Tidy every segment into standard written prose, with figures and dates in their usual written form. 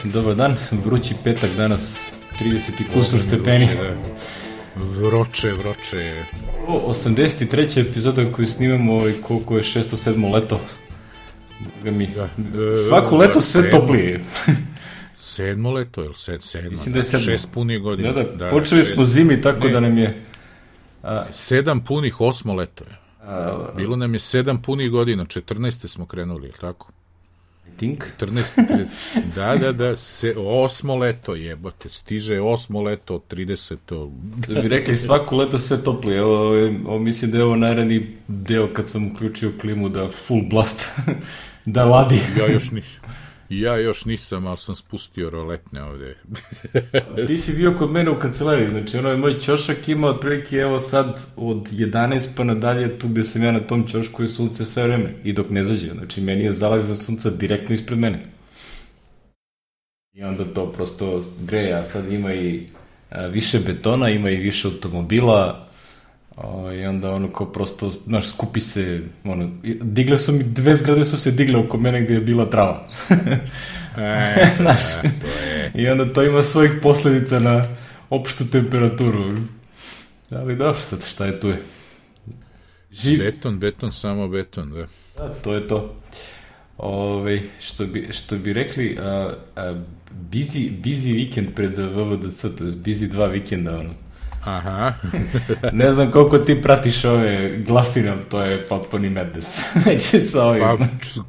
Dobar dan, vrući petak danas, 30 i kusur stepeni. Vroče. 83. epizoda koju snimamo, koliko je 607. leto. Svako leto sve toplije. 7. leto, je li 7? Mislim da je 7. 6 punih godina. Da, počeli smo zimi, tako da nam je... 7 punih 8. leto je. Bilo nam je 7 punih godina, 14. smo krenuli, je li tako? Think? 14. Da, 8. leto jebote, stiže 8. leto od 30. Da bi rekli svako leto sve toplije. Ovo mislim da je ovo najraniji deo kad sam uključio klimu da full blast, da ladi. Ja još nisam, ali sam spustio roletne ovde. Ti si bio kod mene u kancelariji, znači moj ćošak ima otprilike evo sad od 11 pa nadalje tu gde sam ja na tom ćošku je sunce sve vreme i dok ne zađe, znači meni je zalak za sunca direktno ispred mene. I onda to prosto greje, a sad ima i više betona, ima i više automobila i onda kao prosto, znaš, skupi se, digle su mi, 2 zgrade su se digle oko mene gde je bila trava. Znaš, i onda to ima svojih posledica na opštu temperaturu. Ali dobro, sad šta je tu je? Beton, samo beton, da. Da, to je to. Što bi rekli, busy vikend pred VVDC, to je busy 2 vikenda, Aha. Ne znam koliko ti pratiš ove glasine, ali to je potpuni madness.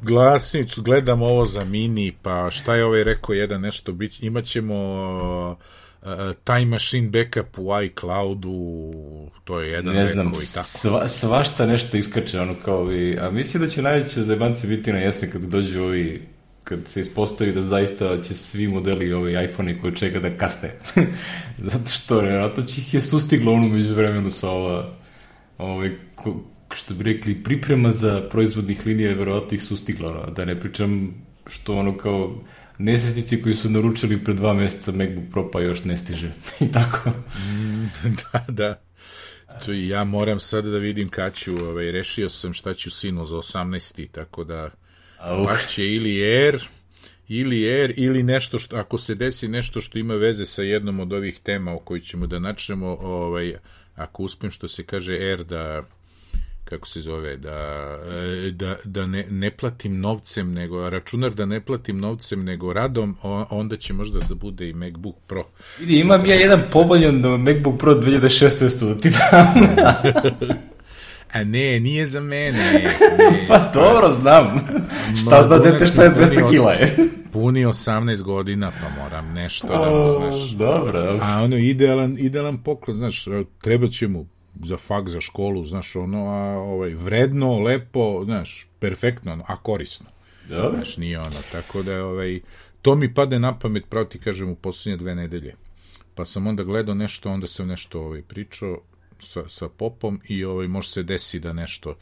Pa gledam ovo za mini, pa šta je rekao jedan nešto, imaćemo time machine backup u iCloudu, to je jedan ne znam, rekao i tako. Svašta nešto iskače, a mislim da će najveće zajebanci biti na jesen kad dođu kad se ispostavi da zaista će svi modeli iPhone-i koji čeka da kasne. Zato što vjerojatno će ih je sustiglo među vremenu sa što bi rekli, priprema za proizvodnih linija, vjerojatno ih sustiglo. Da ne pričam što kao nesvesnici koji su naručili pred 2 meseca MacBook Pro pa još ne stiže. I tako. Da. Ja moram sad da vidim kad ću, rešio sam šta ću sinu za 18. tako da baš će ili Air ili nešto što, ako se desi nešto što ima veze sa jednom od ovih tema o kojoj ćemo da načnemo, ako uspem što se kaže Air da, kako se zove, da ne platim novcem, nego računar da ne platim novcem nego radom, onda će možda da bude i MacBook Pro. Vidi, imam ja jedan povoljan MacBook Pro 2016. da ti dam. A ne, nije za mene. Pa dobro, znam. Šta zna dete šta je 200 kila je? Puni 18 godina, pa moram nešto da mu, znaš. Dobro. A idealan poklon, znaš, treba će mu za fak, za školu, znaš, vredno, lepo, znaš, perfektno, a korisno. Dobro. Znaš, nije tako da, to mi pade na pamet, pravo ti kažem, u poslednje 2 nedelje. Pa sam onda gledao nešto, onda sam nešto pričao sa popom i može se desi da nešto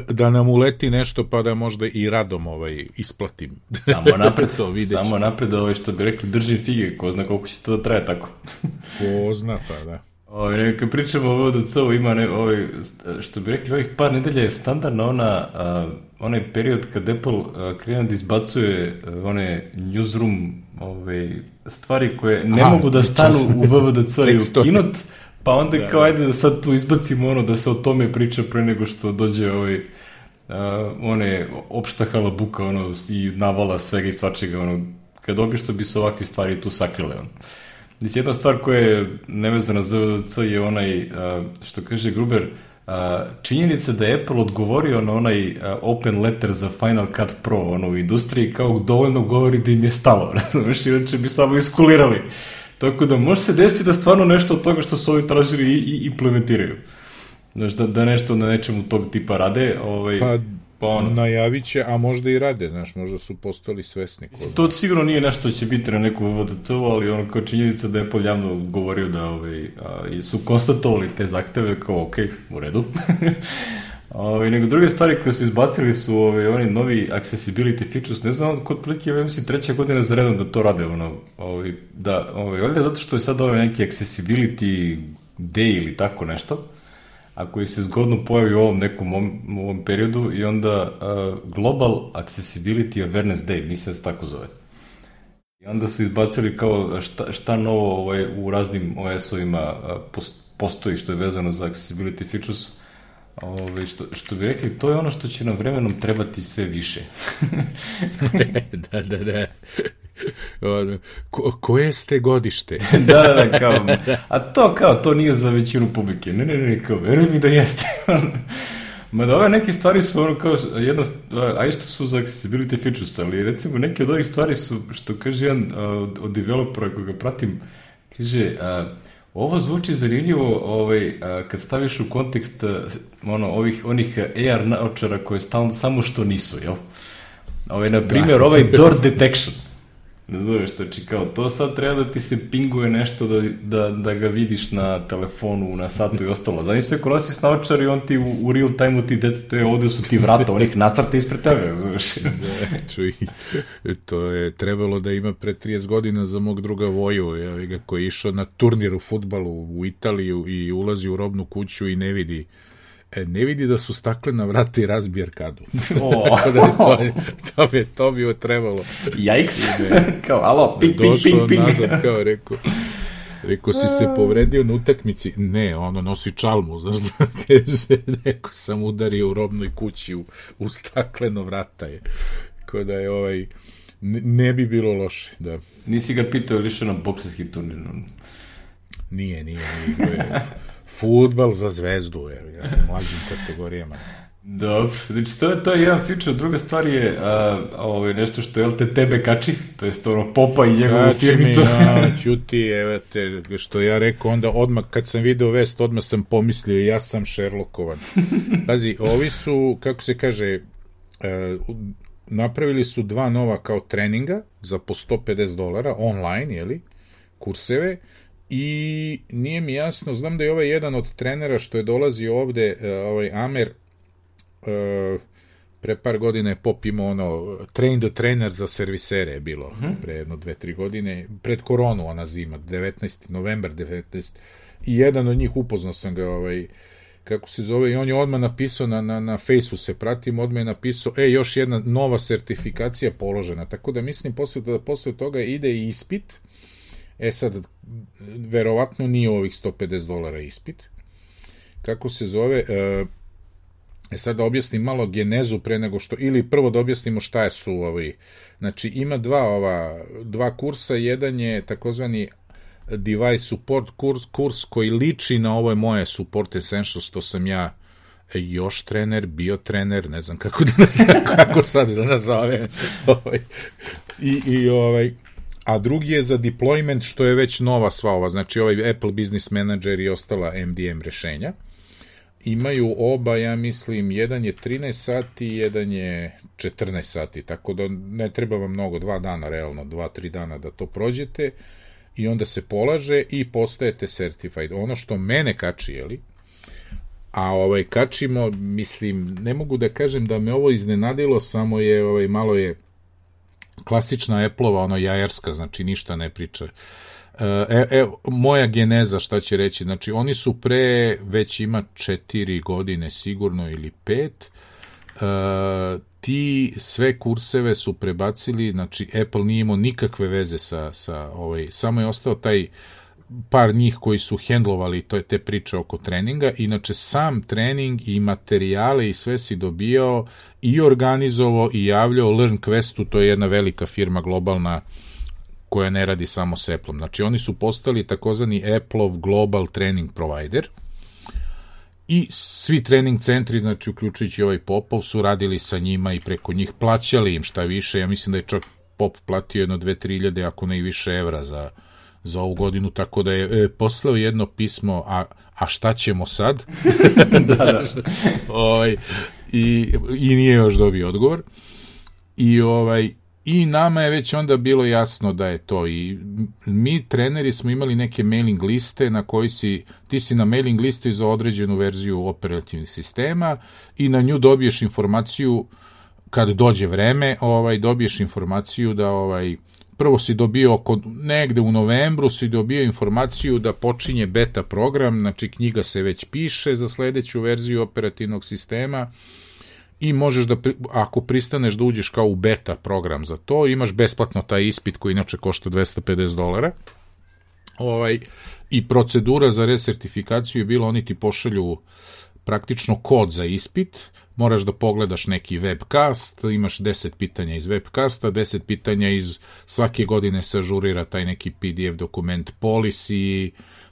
da nam uleti nešto pa da možda i radom isplatim. Samo napred što bi rekli držim fige, ko zna koliko će to da traje tako. Ko zna, pa da. Kad pričamo o VDC-u ima što bi rekli ovih par nedelja je standardna onaj period kad Apple krene da izbacuje one newsroom stvari koje ne mogu da stanu u VVDC i u Keynote, pa onda kao ajde da sad tu izbacimo da se o tome priča pre nego što dođe opšta halabuka i navala svega i svačega kad obično bi se ovakve stvari tu sakrile. Mislim, jedna stvar koja je nevezana za VVDC je što kaže Gruber, činjenica da je Apple odgovorio na onaj open letter za Final Cut Pro u industriji kao dovoljno govori da im je stalo, razumeš, inače bi samo iskulirali. Tako da može se desiti da stvarno nešto od toga što su ovi tražili i implementiraju. Znaš, da nešto na nečemu tog tipa rade. Najavit će, a možda i rade, znaš, možda su postali svesni. To sigurno nije nešto što će biti na neku VDC-u, ali kao činjenica da je Apple javno govorio da su konstatovali te zahteve kao ok, u redu. Nego druge stvari koje su izbacili su oni novi accessibility features, ne znam, kod prilike je mislim 3. godina za redom da to rade, valjda zato što je sad neki accessibility day ili tako nešto, a koji se zgodno pojavi u ovom nekom ovom periodu i onda Global Accessibility Awareness Day, mislim da se tako zove. I onda su izbacili kao šta novo u raznim OS-ovima postoji što je vezano za accessibility features. Što bi rekli, to je ono što će nam vremenom trebati sve više. Da. Koje ste godište? Da, kao. A to nije za većinu publike. Ne, kao, veruj mi da jeste. Mada ove neke stvari su ono kao što su za accessibility features, ali recimo neke od ovih stvari su, što kaže jedan od developera koga pratim, kaže, ovo zvuči zanimljivo kad staviš u kontekst onih AR naočara koje samo što nisu, jel? Na primjer, door detection. Ne zoveš, znači kao, to sad treba da ti se pinguje nešto da ga vidiš na telefonu, na satu i ostalo. Zamisli ako nosiš naočar i on ti u real time-u ti detetuje, ovde su ti vrata, onih nacrta ispred tebe, zoveš. Čuj, to je trebalo da ima pre 30 godina za mog druga Voju, koji je išao na turnir u fudbalu u Italiju i ulazi u robnu kuću i ne vidi da su staklena vrata i razbije arkadu. To bi joj trebalo. Jajks! Kao, alo, ping. Došao nazad, kao, rekao, si se povredio na utakmici? Ne, ono, nosi čalmu, znaš da kaže, neko sam udario u robnoj kući u stakleno vrata je. Kao da je ne bi bilo loše, da. Nisi ga pitao ili išao na bokserski turnir? Nije. Fudbal za zvezdu, u mlađim kategorijama. Dobro, znači to je jedan feature, druga stvar je nešto što LTTB kači, to je Popa i njegovu firmicu. Ćuti, evo te, što ja rekao, onda odmah kad sam video vest, odmah sam pomislio, ja sam Sherlockovan. Pazi, ovi su, kako se kaže, napravili su 2 nova kao treninga za po $150 online, jeli, kurseve. I nije mi jasno, znam da je jedan od trenera što je dolazio ovde, Amer, pre par godina je Pop imao train the trainer za servisere je bilo, pre 2-3 godine, pred koronu ona zima, 19. novembar 19. I jedan od njih upoznao sam ga, kako se zove, i on je odmah napisao, na Fejsu se pratim, odmah je napisao, još jedna nova sertifikacija položena, tako da mislim posle toga ide i ispit. Sad, verovatno nije ovih $150 ispit. Kako se zove? Sad da objasnim malo genezu pre nego što, ili prvo da objasnimo šta su ovi. Znači, ima dva kursa, jedan je takozvani device support kurs koji liči na ovo je moje support essentials, što sam ja još trener, bio trener, ne znam kako sad da nazovem. A drugi je za deployment, što je već nova sva ova, znači Apple Business Manager i ostala MDM rešenja. Imaju oba, ja mislim, jedan je 13 sati, jedan je 14 sati, tako da ne treba vam mnogo, 2 dana, realno, 2-3 dana da to prođete i onda se polaže i postajete certified. Ono što mene kači, jeli? A kačimo, mislim, ne mogu da kažem da me ovo iznenadilo, samo je, malo je klasična Apple-ova, jajarska, znači ništa ne priča. Moja geneza, šta će reći, znači oni su već ima 4 godine sigurno ili 5, ti sve kurseve su prebacili, znači Apple nije imao nikakve veze samo je ostao taj par njih koji su hendlovali te priče oko treninga, inače sam trening i materijale i sve si dobijao i organizovao i javljao LearnQuestu, to je jedna velika firma globalna koja ne radi samo s Apple-om. Znači oni su postali takozvani Apple-ov Global Training Provider i svi trening centri, znači uključujući Popov, su radili sa njima i preko njih plaćali im šta više, ja mislim da je čak Pop platio 2-3 hiljade, ako ne i više evra za ovu godinu, tako da je poslao jedno pismo, a šta ćemo sad? Da. I nije još dobio odgovor. I nama je već onda bilo jasno da je to. I mi, treneri, smo imali neke mailing liste na koji ti si na mailing listi za određenu verziju operativnih sistema i na nju dobiješ informaciju kad dođe vreme, dobiješ informaciju da prvo si dobio negde u novembru si dobio informaciju da počinje beta program, znači knjiga se već piše za sledeću verziju operativnog sistema i možeš da, ako pristaneš da uđeš kao u beta program za to, imaš besplatno taj ispit koji inače košta $250. I procedura za resertifikaciju je bila, oni ti pošalju praktično kod za ispit, moraš da pogledaš neki webcast, imaš 10 pitanja iz webcasta, 10 pitanja iz svake godine se ažurira taj neki PDF dokument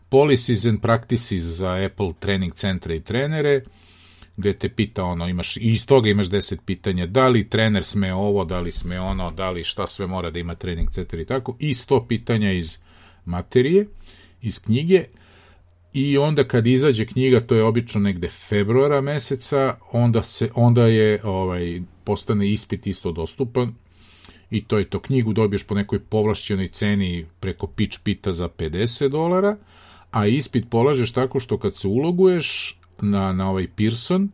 policies and practices za Apple trening centre i trenere, gde te pita imaš, i iz toga imaš 10 pitanja, da li trener sme ovo, da li sme ono, da li šta sve mora da ima trening centar i tako, i 100 pitanja iz materije, iz knjige. I onda kad izađe knjiga, to je obično negde februara meseca, onda je postane ispit isto dostupan i to je to. Knjigu dobiješ po nekoj povlašćenoj ceni preko pitch pita za $50, a ispit polažeš tako što kad se uloguješ na ovaj Pearson,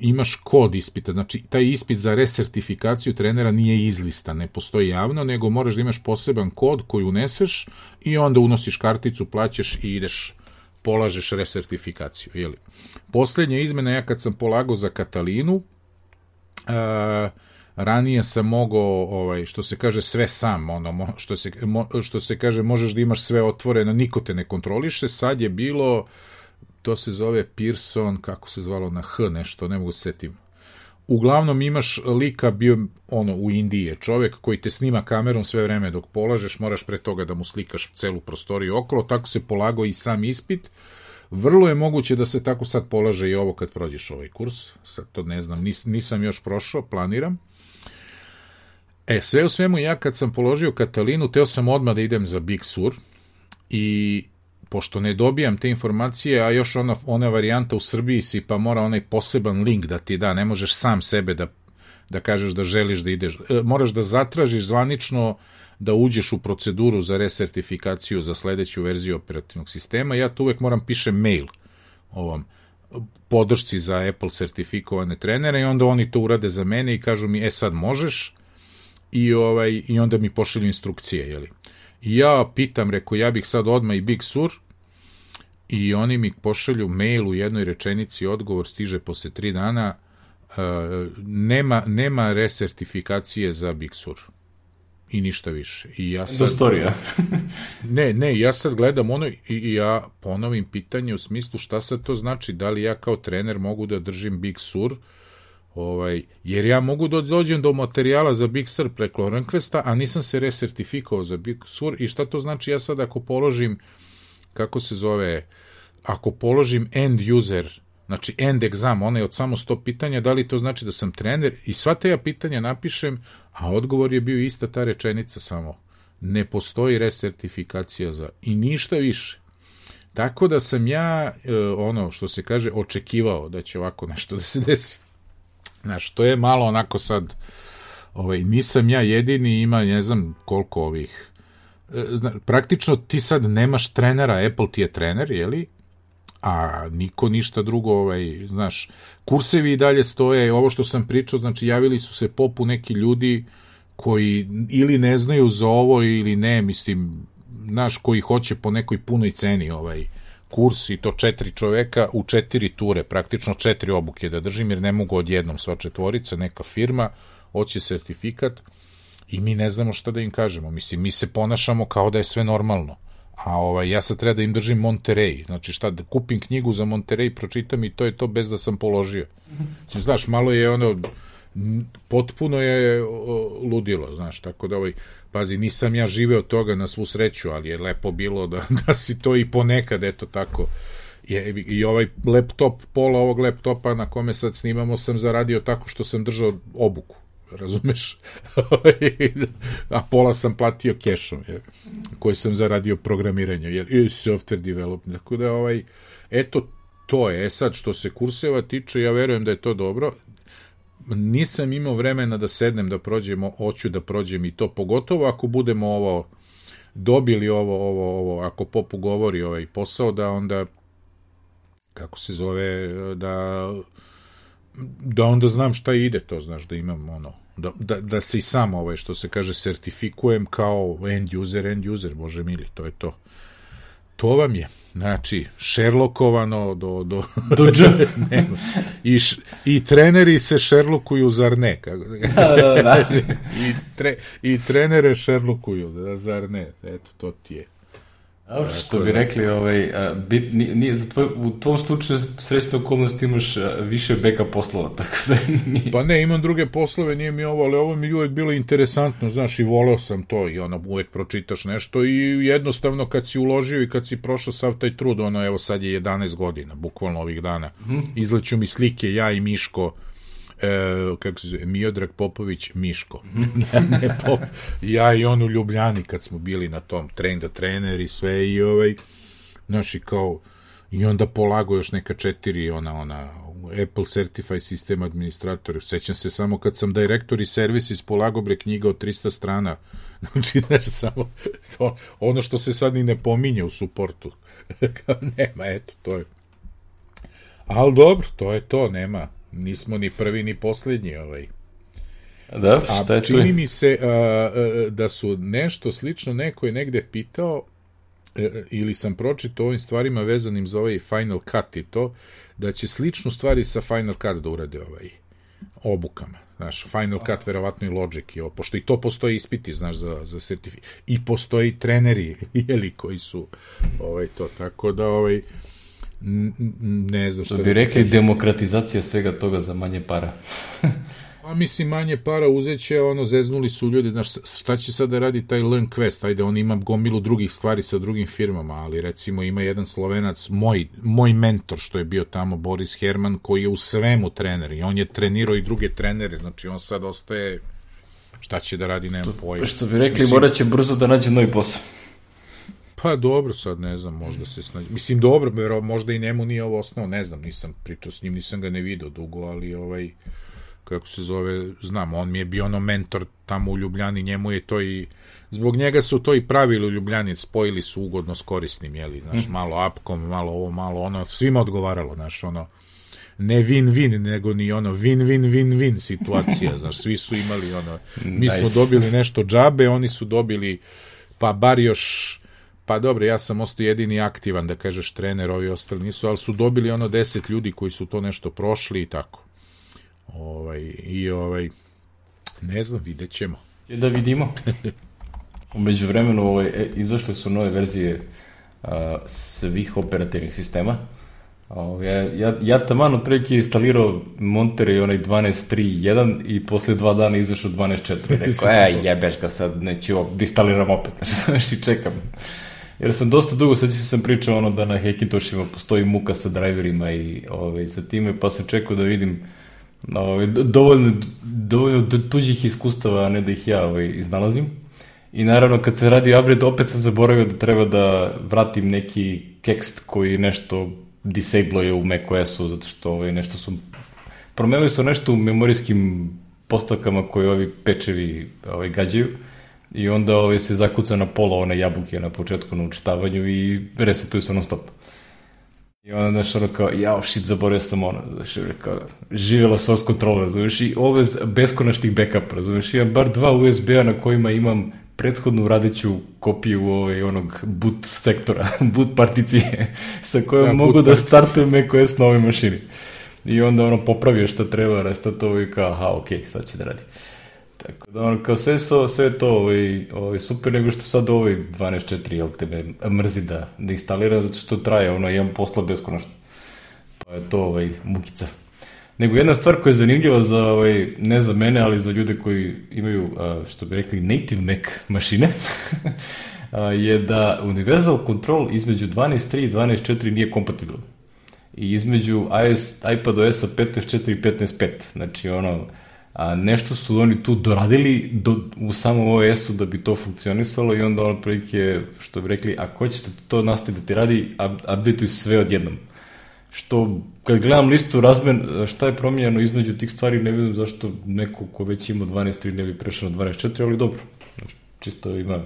imaš kod ispita, znači taj ispit za resertifikaciju trenera nije izlistan, ne postoji javno, nego moraš da imaš poseban kod koji uneseš i onda unosiš karticu, plaćaš i ideš, polažeš resertifikaciju. Jeli? Poslednja izmena, ja kad sam polagao za Katalinu, ranije sam mogao, što se kaže, sve sam, što se kaže, možeš da imaš sve otvoreno, niko te ne kontroliše, sad je bilo, to se zove Pearson, kako se zvalo na H nešto, ne mogu se setim. Uglavnom imaš lika, bio u Indiji je čovek koji te snima kamerom sve vreme dok polažeš, moraš pre toga da mu slikaš celu prostoriju okolo, tako se polagao i sam ispit. Vrlo je moguće da se tako sad polaže i ovo kad prođeš ovaj kurs, sad to ne znam, nisam još prošao, planiram. Sve u svemu, ja kad sam položio Katalinu, teo sam odmah da idem za Big Sur i pošto ne dobijam te informacije, a još ona varijanta u Srbiji si, pa mora onaj poseban link da ti da, ne možeš sam sebe da kažeš da želiš da ideš, moraš da zatražiš zvanično da uđeš u proceduru za resertifikaciju za sledeću verziju operativnog sistema. Ja tu uvek moram pišem mail ovom podršci za Apple sertifikovane trenere i onda oni to urade za mene i kažu mi, sad možeš, i onda mi pošalju instrukcije, jeli. I ja pitam, reko, ja bih sad odmah i Big Sur, i oni mi pošalju mail u jednoj rečenici, odgovor stiže posle 3 dana, nema resertifikacije za Big Sur. I ništa više. I ja sad, storija. ne, ja sad gledam i ja ponovim pitanje u smislu šta sad to znači, da li ja kao trener mogu da držim Big Sur, jer ja mogu da dođem do materijala za Big Sur preko Requesta, a nisam se resertifikovao za Big Sur. I šta to znači ja sad ako položim, kako se zove, ako položim end user, znači end exam, onaj od samo 100 pitanja, da li to znači da sam trener? I sva te ja pitanja napišem, a odgovor je bio ista ta rečenica samo. Ne postoji resertifikacija za, i ništa više. Tako da sam ja, što se kaže, očekivao da će ovako nešto da se desi. Znaš, to je malo onako sad, nisam ja jedini, ima ne znam koliko ovih, praktično ti sad nemaš trenera, Apple ti je trener, jeli, a niko ništa drugo, znaš, kursevi i dalje stoje, ovo što sam pričao, znači javili su se popu neki ljudi koji ili ne znaju za ovo ili ne, mislim, znaš, koji hoće po nekoj punoj ceni kurs i to 4 čoveka u 4 ture, praktično 4 obuke da držim, jer ne mogu odjednom sva četvorica, neka firma, hoće sertifikat i mi ne znamo šta da im kažemo. Mislim, mi se ponašamo kao da je sve normalno, a ja sad treba da im držim Monterey, znači šta, da kupim knjigu za Monterey, pročitam i to je to bez da sam položio. Mislim, znaš, malo je potpuno je ludilo, znaš, tako da pazi, nisam ja živeo toga na svu sreću, ali je lepo bilo da si to i ponekad, eto tako. I ovaj laptop, pola ovog laptopa na kome sad snimamo sam zaradio tako što sam držao obuku, razumeš? A pola sam platio kešom, koji sam zaradio programiranje, i software development, tako da eto, to je. Sad, što se kurseva tiče, ja verujem da je to dobro. Nisam imao vremena da sednem da prođemo, hoću da prođem i to, pogotovo ako budemo dobili ovo, ako Popu govori posao, da onda, kako se zove, da onda znam šta ide, to znaš, da imam Da se i sam, što se kaže, sertifikujem kao end user, bože mili, to je to. To vam je, znači, Sherlockovano do I treneri se Sherlockuju, zar ne? Da. I trenere Sherlockuju, zar ne? Eto, to ti je. Što bi rekli, u tom slučaju srećne okolnosti imaš više beka poslova, tako da nije... Pa ne, imam druge poslove, nije mi ovo, ali ovo mi uvek bilo interesantno, znaš, i voleo sam to i uvek pročitaš nešto i jednostavno kad si uložio i kad si prošao sav taj trud, evo sad je 11 godina, bukvalno ovih dana, izleću mi slike, ja i Miško, kako se zove, Miodrag Popović Miško. Ne Pop, ja i on u Ljubljani kad smo bili na tom train the trainer i sve i znaš i kao i onda polago još neka 4 ona Apple Certified System Administrator. Sećam se samo kad sam Directory Services polago knjiga od 300 strana. Znači, znaš, samo to, ono što se sad ni ne pominje u suportu. Nema, eto, to je. Ali dobro, to je to, nema. Nismo ni prvi ni posljednji. Da, šta je čini mi se da su nešto slično neko je negde pitao ili sam pročitao ovim stvarima vezanim za ovaj Final Cut i to, da će sličnu stvari sa Final Cut da urade obukama. Znaš, Final Cut, verovatno i Logic, pošto i to postoji ispiti, znaš, za sertifikat. I postoji treneri, koji su to, tako da ne znam što bi rekli, demokratizacija svega toga za manje para. A mislim, manje para uzeće, zeznuli su ljudi, znaš, šta će sad da radi taj LearnQuest, ajde, on ima gomilu drugih stvari sa drugim firmama, ali recimo ima jedan Slovenac, moj mentor što je bio tamo, Boris Herman, koji je u svemu trener i on je trenirao i druge trenere, znači on sad ostaje, šta će da radi, nemam pojma. Što bi rekli, morat će brzo da nađe novi posao. Pa dobro, sad ne znam, možda se snađe. Mislim, dobro, možda i njemu nije ovo osnovo, ne znam, nisam pričao s njim, nisam ga ne vidio dugo, ali kako se zove, znam, on mi je bio mentor tamo u Ljubljani, njemu je to i, zbog njega su to i pravili u Ljubljani, spojili su ugodno s korisnim, znaš, malo apkom, malo ovo, malo ono, svima odgovaralo, znaš, ne win-win, nego ni win-win-win-win situacija, znaš, svi su imali mi smo dobili nešto džabe, oni su dobili, pa bar još. Pa dobro, ja sam ostao jedini aktivan, da kažeš, trener, ovi ostali nisu, ali su dobili 10 ljudi koji su to nešto prošli i tako. Ne znam, vidjet ćemo. Da vidimo. U međuvremenu izašle su nove verzije svih operativnih sistema. Ja taman otprilike instalirao Monterey 12.3.1 i posle 2 dana izašao 12.4. Rekao, jebeš ga sad, neću instaliram opet. Znači, čekam. Jer sam dosta dugo, sad sam pričao da na Hackintoshima postoji muka sa driverima i sa time, pa sam čekao da vidim dovoljno tuđih iskustava, a ne da ih ja iznalazim. I naravno, kad se radi upgrade, opet sam zaboravio da treba da vratim neki tekst koji nešto disabluje u macOS-u, zato što nešto su... Promenili su nešto u memorijskim postavkama koje ovi pečevi gađaju. I onda se zakuca na pola one jabuke na početku na učitavanju i resetuje se non stop. I onda nešto kao, zaboravio sam živjela source controller, razumiješ, i beskonačnih backupa, razumiješ, imam bar 2 USB-a na kojima imam prethodnu radiću kopiju onog boot sektora, boot particije, sa kojom mogu da startujem macOS na ovoj mašini. I onda popravio šta treba, restatovo i kao, ok, sad će da radi. Tako da, kao sve je to super, nego što sad 12.4, jel te me mrzi da instaliram, zato što traje, imam posla beskonačno. Pa je to mukica. Nego jedna stvar koja je zanimljiva za, ne za mene, ali za ljude koji imaju, što bi rekli, native Mac mašine, je da Universal Control između 12.3 i 12.4 nije kompatibilan. I između iPadOS-a 15.4 i 15.5. Znači, nešto su oni tu doradili u samom OS-u da bi to funkcionisalo i onda prilike, što bi rekli, ako hoćete to nastaviti da ti radi, updateuj sve odjednom. Što, kad gledam listu šta je promijenjeno između tih stvari, ne vidim zašto neko ko već ima 12.3 ne bi prešao na 12.4, ali dobro. Znači, čisto ima,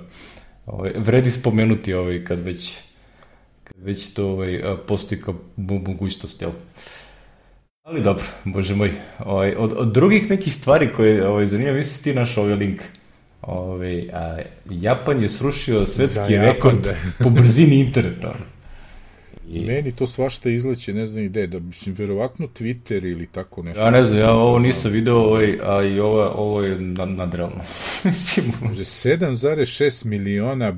vredi spomenuti kad već to postoji kao mogućnost, jel? Ali dobro, bože moj. Od drugih nekih stvari koje zanima, mislim ti naš ovaj link. Japan je srušio svetski rekord po brzini interneta. Meni to svašta izleće, ne znam gde, da mislim, verovatno Twitter ili tako nešto. Ja ne znam, ja ovo nisam video, a i ovo je nadrealno. Mislim, 7,6 miliona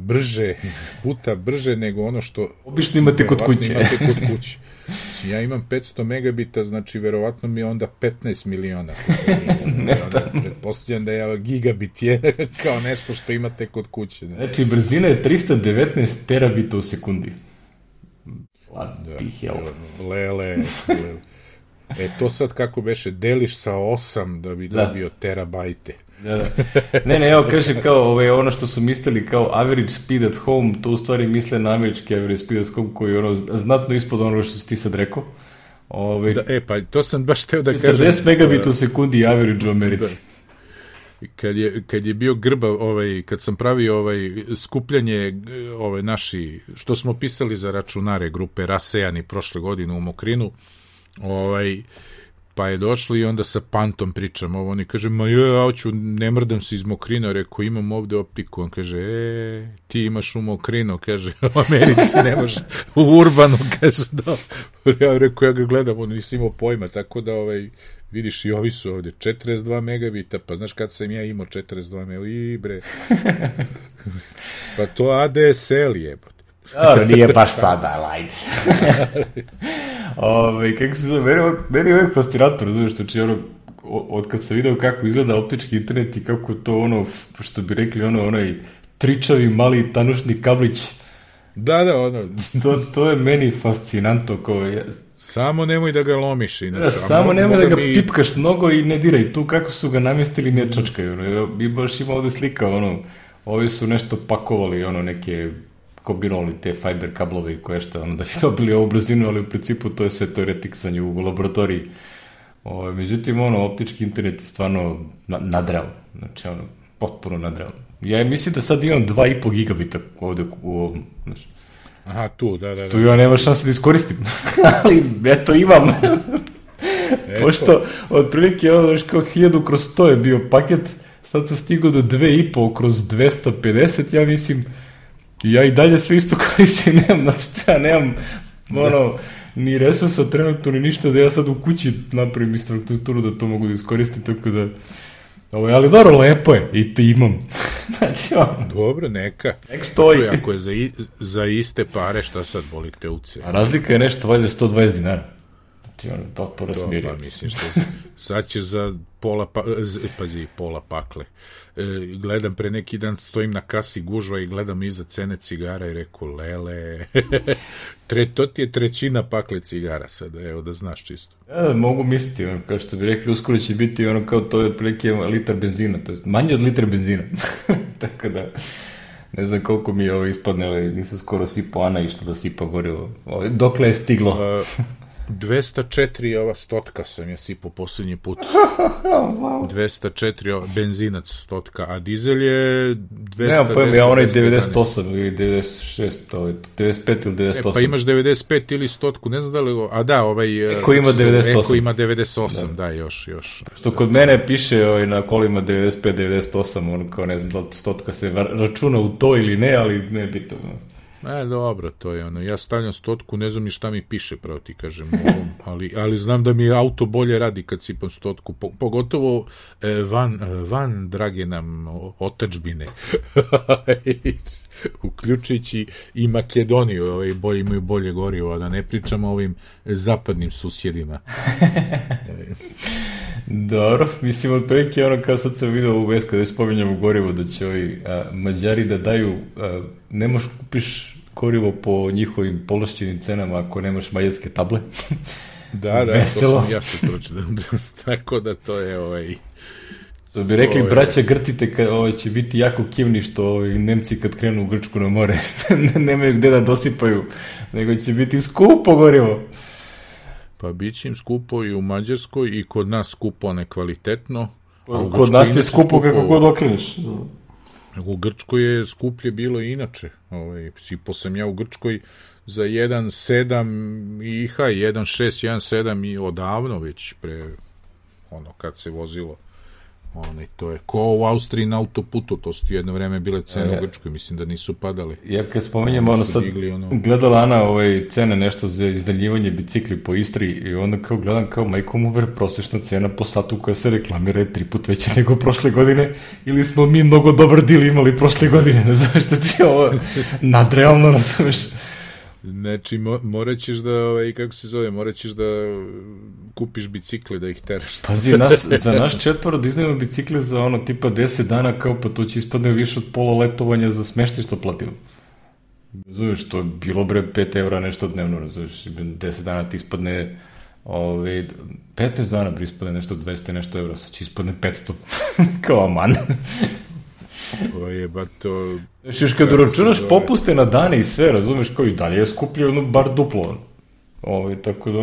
puta brže nego ono što... Obično imate kod kuće. Ja imam 500 megabita, znači verovatno mi je onda 15 miliona. Nestavno. Pretpostavljam da je gigabit je kao nešto što imate kod kuće. Znači, brzina je 319 terabita u sekundi. Lele. To sad kako beše, deliš sa 8 da bi dobio terabajte. Da. Ne, evo kaže kao ono što su mislili kao average speed at home, to u stvari misle na američki average speed at home koji je znatno ispod onoga što si ti sad rekao. Pa to sam baš teo da kažem. 40 megabita u sekundi average u Americi. Kad je bio grba, kad sam pravio skupljanje naši, što smo pisali za računare grupe Rasejani prošle godine u Mokrinu, pa je došlo i onda sa Pantom pričam oni kaže, ja hoću, ne mrdam se iz Mokrina, rekao, imam ovde optiku, on kaže, ti imaš u Mokrinu, kaže, u Americi nemaš, u Urbanu, kaže, da, ja rekao, ja ga gledam, on nisi imao pojma, tako da, vidiš, i ovi su ovde, 42 megabita, pa znaš kad sam ja imao 42 megabita, bre, pa to ADSL je, dobro, nije baš sada, ajde. Kako se zove, meni je uvijek fascinator, znaš, znači, od kad sam video kako izgleda optički internet i kako to, što bi rekli, onaj tričavi, mali, tanušni kablić. Da, To je meni fascinantno, samo nemoj da ga lomiš. Samo nemoj da ga pipkaš mnogo i ne diraj. Tu kako su ga namjestili ne čačkaju. I baš ima ovde slika, ovi su nešto pakovali, neke kombinovali te fiber kablove i koje šta, da bi dobili ovu brzinu, ali u principu to je sve to retiksanje u laboratoriji. Međutim, optički internet je stvarno nadrealno. Znači, potpuno nadrealno. Ja mislim da sad imam 2,5 gigabita ovde u ovom, znači. Aha, tu, da. Tu ja nema šanse da iskoristim, ali eto imam. Pošto, otprilike, kao 1000/100 je bio paket, sad sam stigao do 2,5/250, ja mislim, ja i dalje sve isto koristim, ja nemam, ni resursa trenutno, ni ništa, da ja sad u kući napravim infrastrukturu da to mogu da iskoristim, tako da, ali dobro, lepo je, i to imam. Znači, dobro, neka. Nek stoji. Znači, ako je za iste pare, šta sad boli te uce? A razlika je nešto, valjda, $120. Znači, potpuno smirio. Pa, mislim, sad će za pola pakle. Gledam, pre neki dan stojim na kasi gužva i gledam iza cene cigara i reku, lele, to ti je trećina pakle cigara sada, evo da znaš čisto. Ja, mogu misliti, kao što bi rekli, uskoro će biti kao to je prilike litar benzina, to je manje od litra benzina. Tako da, ne znam koliko mi je ispadne, nisam skoro sipao Ana išta da sipa gorivo. Dokle je stiglo? 204 ova stotka sam ja sipao posljednji put. 204 benzinac stotka, a dizel je 200. Nemam pojma, ja onaj 98 ili 96, 95 ili 98. Pa imaš 95 ili stotku, ne znam da li... A da, Eko ima 98. Eko ima 98, da, još. Što kod mene piše na kolima 95, 98, kao ne znam da li stotka se računa u to ili ne, ali ne bitno. Dobro, to je ja stavljam stotku, ne znam ni šta mi piše, pravo ti kažem, ali znam da mi auto bolje radi kad sipam stotku, pogotovo van drage nam otadžbine, uključujući i Makedoniju, imaju bolje gorivo, a da ne pričamo o ovim zapadnim susjedima. Dobro, mislim, otprilike kao sad sam vidio u vest kada je spominjamo gorivo, da će Mađari da daju, ne možeš kupiš gorivo po njihovim povlašćenim cenama ako nemaš mađarske table. Da, to sam ja se pročitao. Tako da to je To bi rekli, braća Grtite, će biti jako kivni što Nemci kad krenu u Grčku na more nemaju gde da dosipaju, nego će biti skupo gorivo. Pa bit će im skupo i u Mađarskoj i kod nas skupo nekvalitetno. Kod nas je skupo kako god okreneš. U Grčkoj je skuplje bilo i inače. Sipao sam ja u Grčkoj za 1.7 i 1.6, 1.7 i odavno već pre kad se vozilo. To je ko u Austriji na autoputu, to su jedno vreme bile cene u Grčkoj, mislim da nisu padale. Ja kad spomenjem, sad gledala Ana cene nešto za izdaljivanje bicikli po Istri i onda kao gledam kao majkom uver, prosječna cena po satu koja se reklamira je 3 put veća nego prošle godine, ili smo mi mnogo dobar dil imali prošle godine, ne znaš što će ovo nadrealno, razumeš. Znači, morat ćeš da, kako se zove, morat ćeš da kupiš bicikle, da ih teraš. Pazi, za naš 4 da iznajemo bicikle za tipa 10 dana, kao pa to će ispadne više od pola letovanja za smeštaj što platimo. Razumiješ, to je bilo 5 evra nešto dnevno, razumiješ, 10 dana ti ispadne 15 dana ispadne nešto 200 nešto evra, sad će ispadne 500, kao aman. To... Još kad uračunaš popuste na dane i sve, razumeš, kao i dalje je skuplje bar duplo. Tako da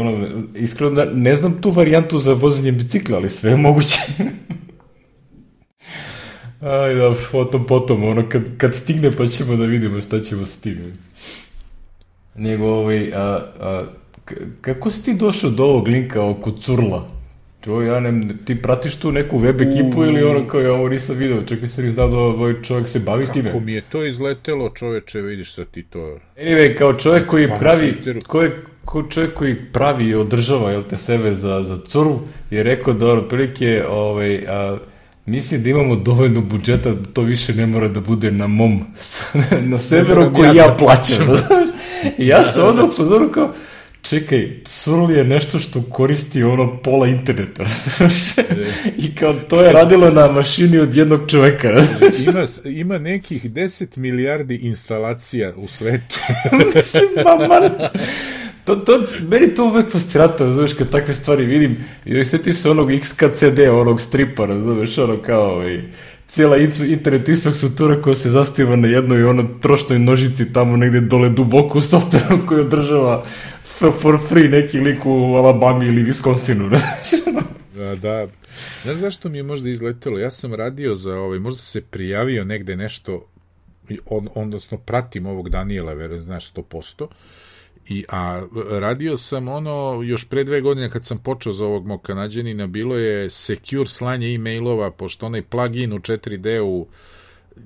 iskreno ne znam tu varijantu za vozenje bicikla, ali sve je moguće. Ajde, potom, kad stigne pa ćemo da vidimo šta ćemo stigne. Nego, kako si ti došao do ovog linka oko curla? Ti pratiš tu neku web ekipu ili kao ja ovo nisam video, čekaj se znao da ovaj čovjek se bavi time. Kako mi je to izletelo, čoveče, vidiš sad ti to. Anyway, kao čovjek koji pravi, čovjek koji pravi i održava sebe za curl, je rekao da otprilike mislim da imamo dovoljno budžeta da to više ne mora da bude na mom, na severu koji ja plaćam. I ja sam onda upozorio kao, čekaj, curl je nešto što koristi pola interneta, i kao to je radilo na mašini od jednog čoveka. Ima nekih 10 milijardi instalacija u svetu. Mislim, meni to uvek fascinantno, razumeš, kad takve stvari vidim, i sjeti se onog XKCD, onog stripa, razumeš, kao cijela internet infrastruktura koja se zastiva na jednoj trošnoj nožici tamo negde dole duboko u softveru koji održava for free neki lik u Alabami ili Wisconsinu. Da. Znaš zašto mi je možda izletelo? Ja sam radio za možda se prijavio negde nešto, odnosno pratim ovog Daniela, znaš, 100%, a radio sam još pre 2 godine kad sam počeo za ovog mog Kanađanina, bilo je secure slanje e-mailova, pošto onaj plugin u 4D-u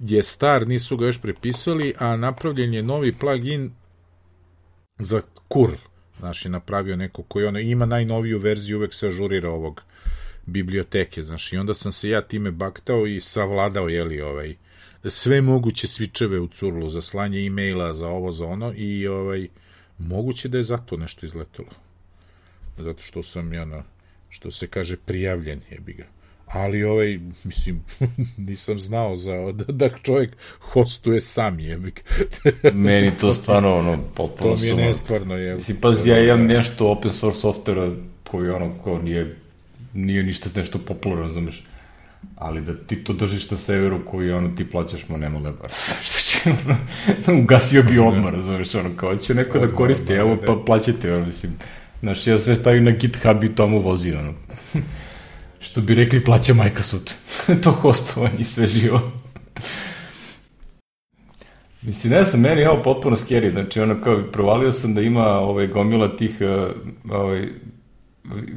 je star, nisu ga još prepisali, a napravljen je novi plugin za curl. Znaš, je napravio neko koji ima najnoviju verziju, uvek se ažurira ovog biblioteke, znaš, i onda sam se ja time baktao i savladao, sve moguće svičeve u curlu za slanje e-maila, za ovo, za ono, i moguće da je zato nešto izletelo. Zato što sam što se kaže, prijavljen, jebi ga. Ali mislim, nisam znao da čovjek hostuje sam, jebik. Meni to stvarno, potpuno to mi je nestvarno, jebik. Mislim, pazi, ja imam nešto open source softvera koji ko nije ništa nešto popularno, razumeš. Ali da ti to držiš na severu koji ti plaćaš, nema da bar. Što će, ugasio bi odmah, razumeš, kao će neko da koristi, evo pa plaćate, mislim. Znaš, ja sve stavim na GitHub i tamo vozi, što bi rekli, plaća Microsoft. To hostovanje i sve živo. Mislim, ne znam, meni je ovo potpuno scary. Znači, kao, provalio sam da ima gomila tih,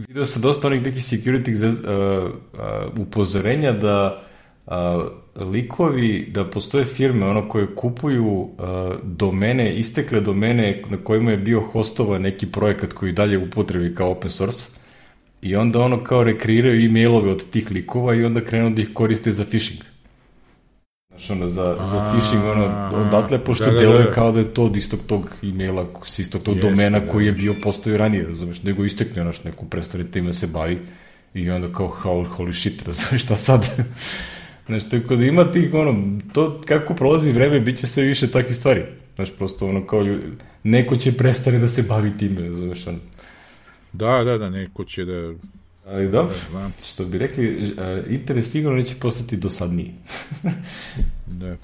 video sam dosta onih nekih security upozorenja da likovi, da postoje firme koje kupuju domene, istekle domene na kojima je bio hostovan neki projekat koji dalje upotrebi kao open source, i onda kao rekreiraju e-mailove od tih likova i onda krenu da ih koriste za phishing. Znaš, za phishing, odatle, pošto deluje kao da je to od istog tog e-maila, s istog tog domena koji je bio postoji ranije, razumeš, nego istekne, neko prestanite ima se bavi, i onda kao, holy shit, razumeš, šta sad? Znaš, tako da ima tih, to kako prolazi vreme, bit će sve više takih stvari. Znaš, prosto, kao, neko će prestane da se bavi time, razumeš, Da, neko će da... Ali dobro, što bi rekli, internet sigurno neće postati dosadniji. Da.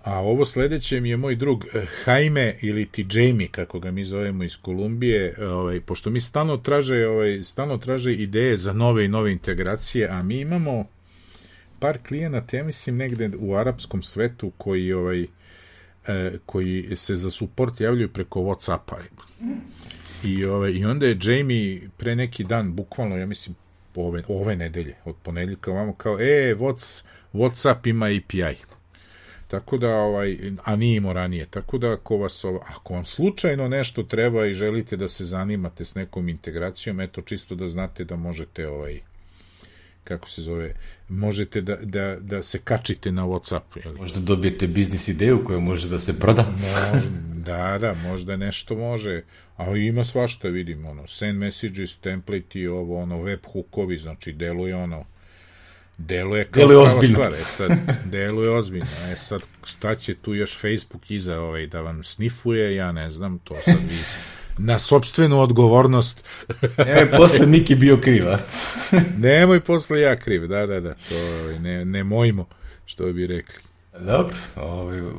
A ovo sledeće mi je moj drug Jaime, ili ti Jamie, kako ga mi zovemo iz Kolumbije, pošto mi stalno traže ideje za nove i nove integracije, a mi imamo par klijenata, ja mislim, negde u arapskom svetu koji koji se za support javljaju preko Whatsappa. I onda je Jamie pre neki dan, bukvalno, ja mislim, ove nedelje, od ponedeljka ovamo, kao, Whatsapp ima API. Tako da, a nije imao ranije. Tako da, ako vam slučajno nešto treba i želite da se zanimate s nekom integracijom, eto, čisto da znate da možete, kako se zove, možete da se kačite na Whatsappu. Jeli? Možda dobijete biznis ideju koja može da se proda. Da, možda nešto može. A ima svašta, vidim, send messages, template i web hookovi, znači deluje kao prava stvar. Deluje ozbiljno. Sad, šta će tu još Facebook iza da vam snifuje, ja ne znam, to sad vi na sopstvenu odgovornost. Nemoj posle Miki bio kriv, a? Nemoj posle ja kriv, da. To ne mojmo, što bi rekli. Dobro,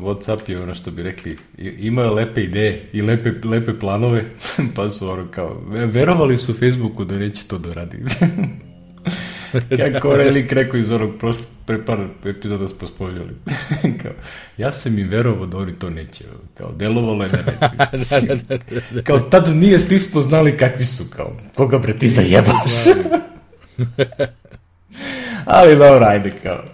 Whatsapp je ono što bi rekli, imaju lepe ideje i lepe planove, pa su kao, verovali su Facebooku da neće to da radi. Kako Relik rekao iz onog pre par epizoda smo spominjali. Ja sam im verovao da oni to neće. Kao, delovalo je da neće. Kao, tad nismo znali kakvi su. Kao, koga bre ti zajebaš? Ali dobro, ajde kao.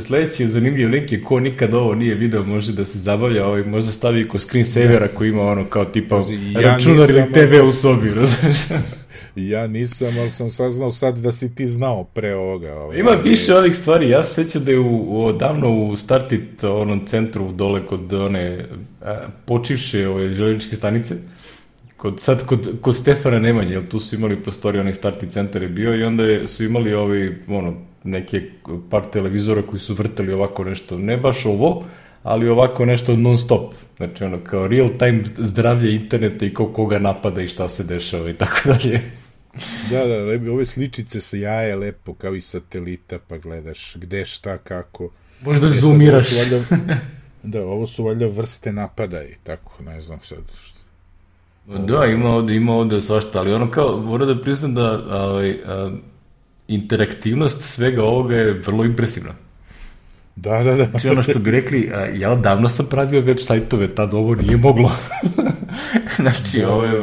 Sledeći zanimljiv link je ko nikad ovo nije video, može da se zabavlja, možda stavi ko screensavera koji ima ono kao tipa računar ili TV u sobi, razumiješ? Ja nisam, ali sam saznao sad da si ti znao pre ovoga. Ima više ovih stvari, ja se sjećam da je davno u Startit onom centru dole kod one počivše željezničke stanice, kod Stefana Nemanje, jer tu su imali prostorije, onaj Startit centar je bio i onda su imali neke par televizora koji su vrtali ovako nešto, ne baš ovo, ali ovako nešto non stop. Znači kao real time zdravlje interneta i koga napada i šta se dešava i tako dalje. Da, ove sličice sa jaje lepo kao i satelita, pa gledaš gde, šta, kako. Možda zoomiraš. Ovo su valjda vrste napada i tako, ne znam sad što. Da, ima ovde svašta, ali kao, moram da priznam da interaktivnost svega ovoga je vrlo impresivna. Da. Znači ono što bi rekli, ja davno sam pravio web sajtove, tad ovo nije moglo. Znači, ovo je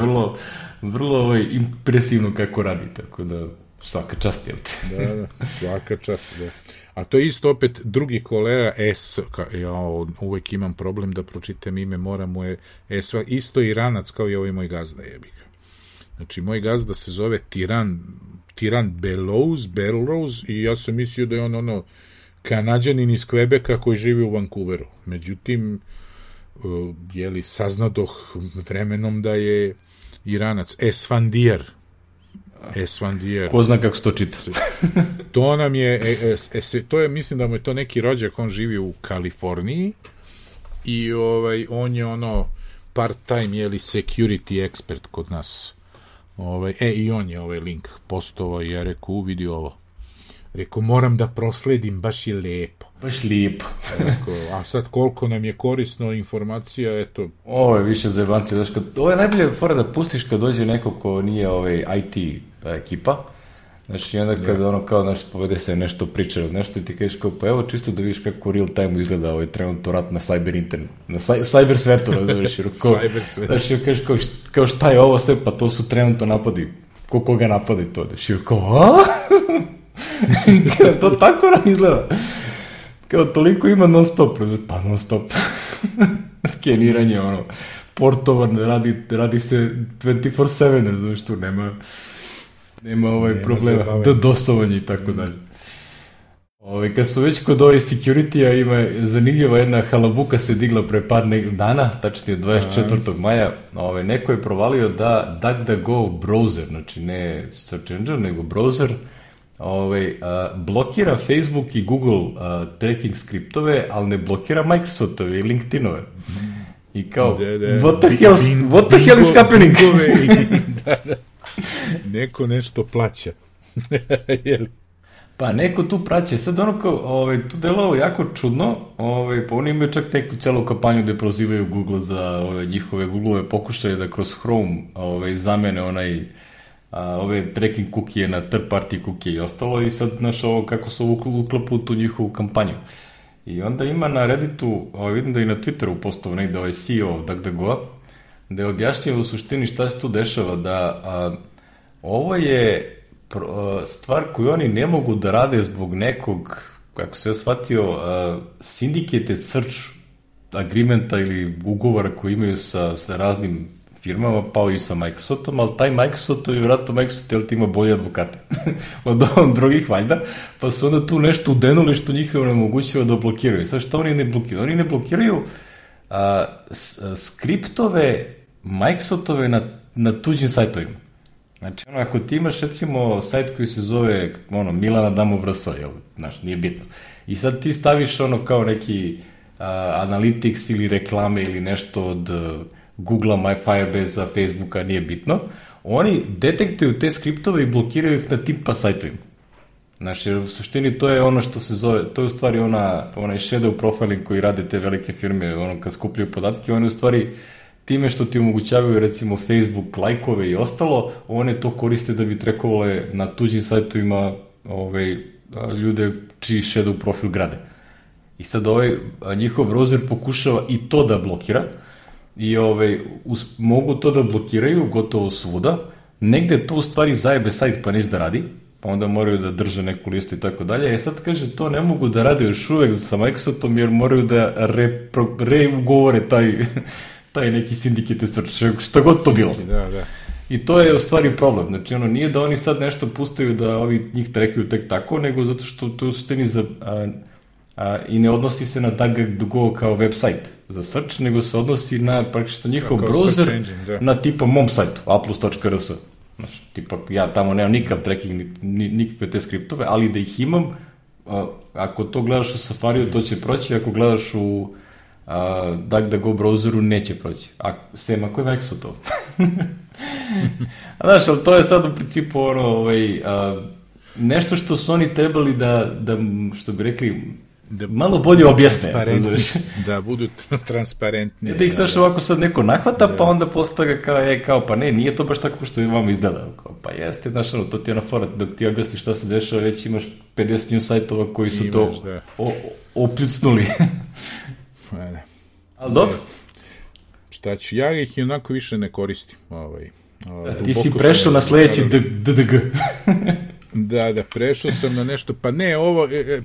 vrlo impresivno kako radi, tako da svaka čast, jel te? Da, svaka čast, da. A to je isto opet drugi kolega ja uvek imam problem da pročitam ime, isto Iranac kao i ovaj moj gazda, jebika. Znači, moj gazda se zove Tiran Belrose i ja sam mislio da je on Kanađanin iz Kvebeka koji živi u Vancouveru. Međutim, saznadoh vremenom da je Iranac. Esfandiar. Ko zna kako se to čita? To nam je, mislim da mu je to neki rođak, on živi u Kaliforniji i on je part-time, security expert kod nas. I on je link postovao i ja rekao, vidi ovo. Rekao, moram da prosledim, baš je lepo. Baš lijepo. A sad koliko nam je korisno informacija, eto. Ovo je više zajebanci. Ovo je najbolje fora da pustiš kad dođe neko ko nije IT ekipa. Znači, onda kad kao povede se nešto priča od nešto i ti kažeš kao, pa evo čisto da vidiš kako real time izgleda trenutno rat na cyber internet, na cyber svetu, razumiješ. Znači, kažeš kao šta je ovo sve, pa to su trenutno napadi. Koga napadi to? Znači, kao, to tako izgleda. Kao toliko ima non stop, pa non stop. Skeniranje, portova radi se 24/7, razumiješ, tu nema problema, dosovanje i tako dalje. Kad smo već kod ove security-a, ima zanimljiva jedna halabuka se digla pre par dana, tačnije 24. maja, neko je provalio da DuckDuckGo browser, znači ne search engine, nego browser, blokira Facebook i Google tracking skriptove, ali ne blokira Microsoftove i LinkedInove. I kao, what the hell is happening? Neko nešto plaća. Pa neko tu praće. Sad tu delovalo jako čudno, pa oni imaju čak neku celu kampanju gde prozivaju Google za njihove Google-ove pokušaje da kroz Chrome zamene ove tracking cookije na third party cookije i ostalo i sad, kako se uklapu u tu njihovu kampanju. I onda ima na Redditu, vidim da i na Twitteru postao negde CEO DuckDuckGo, da je objašnjava u suštini šta se tu dešava, da ovo je stvar koju oni ne mogu da rade zbog nekog, kako se ja shvatio, syndicated search agreementa ili ugovora koji imaju sa raznim firmama, pa i sa Microsoftom, ali taj Microsoft, vjerojatno Microsoft ima bolje advokate od drugih valjda, pa su onda tu nešto udenuli što njih onemogućava da blokiraju. Sad što oni ne blokiraju? Oni ne blokiraju skriptove Microsoftove na tuđim sajtovima. Znači, ako ti imaš, recimo, sajt koji se zove, Milana Damo Vrsa, znaš, nije bitno. I sad ti staviš kao neki Analytics ili reklame ili nešto od Google-a, My Firebase-a, Facebooka, nije bitno. Oni detektuju te skriptove i blokiraju ih na tim sajtovima. Znači, u suštini to je ono što se zove, to je u stvari onaj shadow profiling koji rade te velike firme, kad skupljaju podatke, oni u stvari time što ti omogućavaju recimo Facebook lajkove i ostalo, one to koriste da bi trekovale na tuđim sajtovima ljude čiji shadow profil grade. I sad njihov browser pokušava i to da blokira i mogu to da blokiraju gotovo svuda, negde to u stvari zajebe sajt pa neće da radi, pa onda moraju da drže neku listu i tako dalje. Sad kaže, to ne mogu da rade još uvek sa Microsoftom jer moraju da reugovore taj neki syndicated search, šta god to bilo. Da. I to je u stvari problem. Znači, nije da oni sad nešto pustaju da ovi njih trekaju tek tako, nego zato što to u suštini i ne odnosi se na DuckDuckGo kao website za search, nego se odnosi na praktično njihov browser na tipa mom sajtu, aplus.rs. Znači, tipa, ja tamo nemam nikakav tracking, nikakve te skriptove, ali da ih imam, ako to gledaš u Safariju, to će proći, ako gledaš u DuckDuckGo browseru, neće proći. Sem ako je Microsoft to. Znaš, ali to je sad u principu nešto što su oni trebali da što bi rekli, malo bolje objasne. Da budu transparentni. Da ih daš ovako sad neko nahvata, pa onda postaga kao, pa ne, nije to baš tako što vam izgleda. Pa jeste, znaš, to ti je ona fora, dok ti objasni šta se dešava, već imaš 50 news sajtova koji su to opljucnuli. Ali dobro. Šta ću, ja ih i onako više ne koristim. Ti si prešao na sledeći DDG. Da, prešao sam na nešto, pa ne,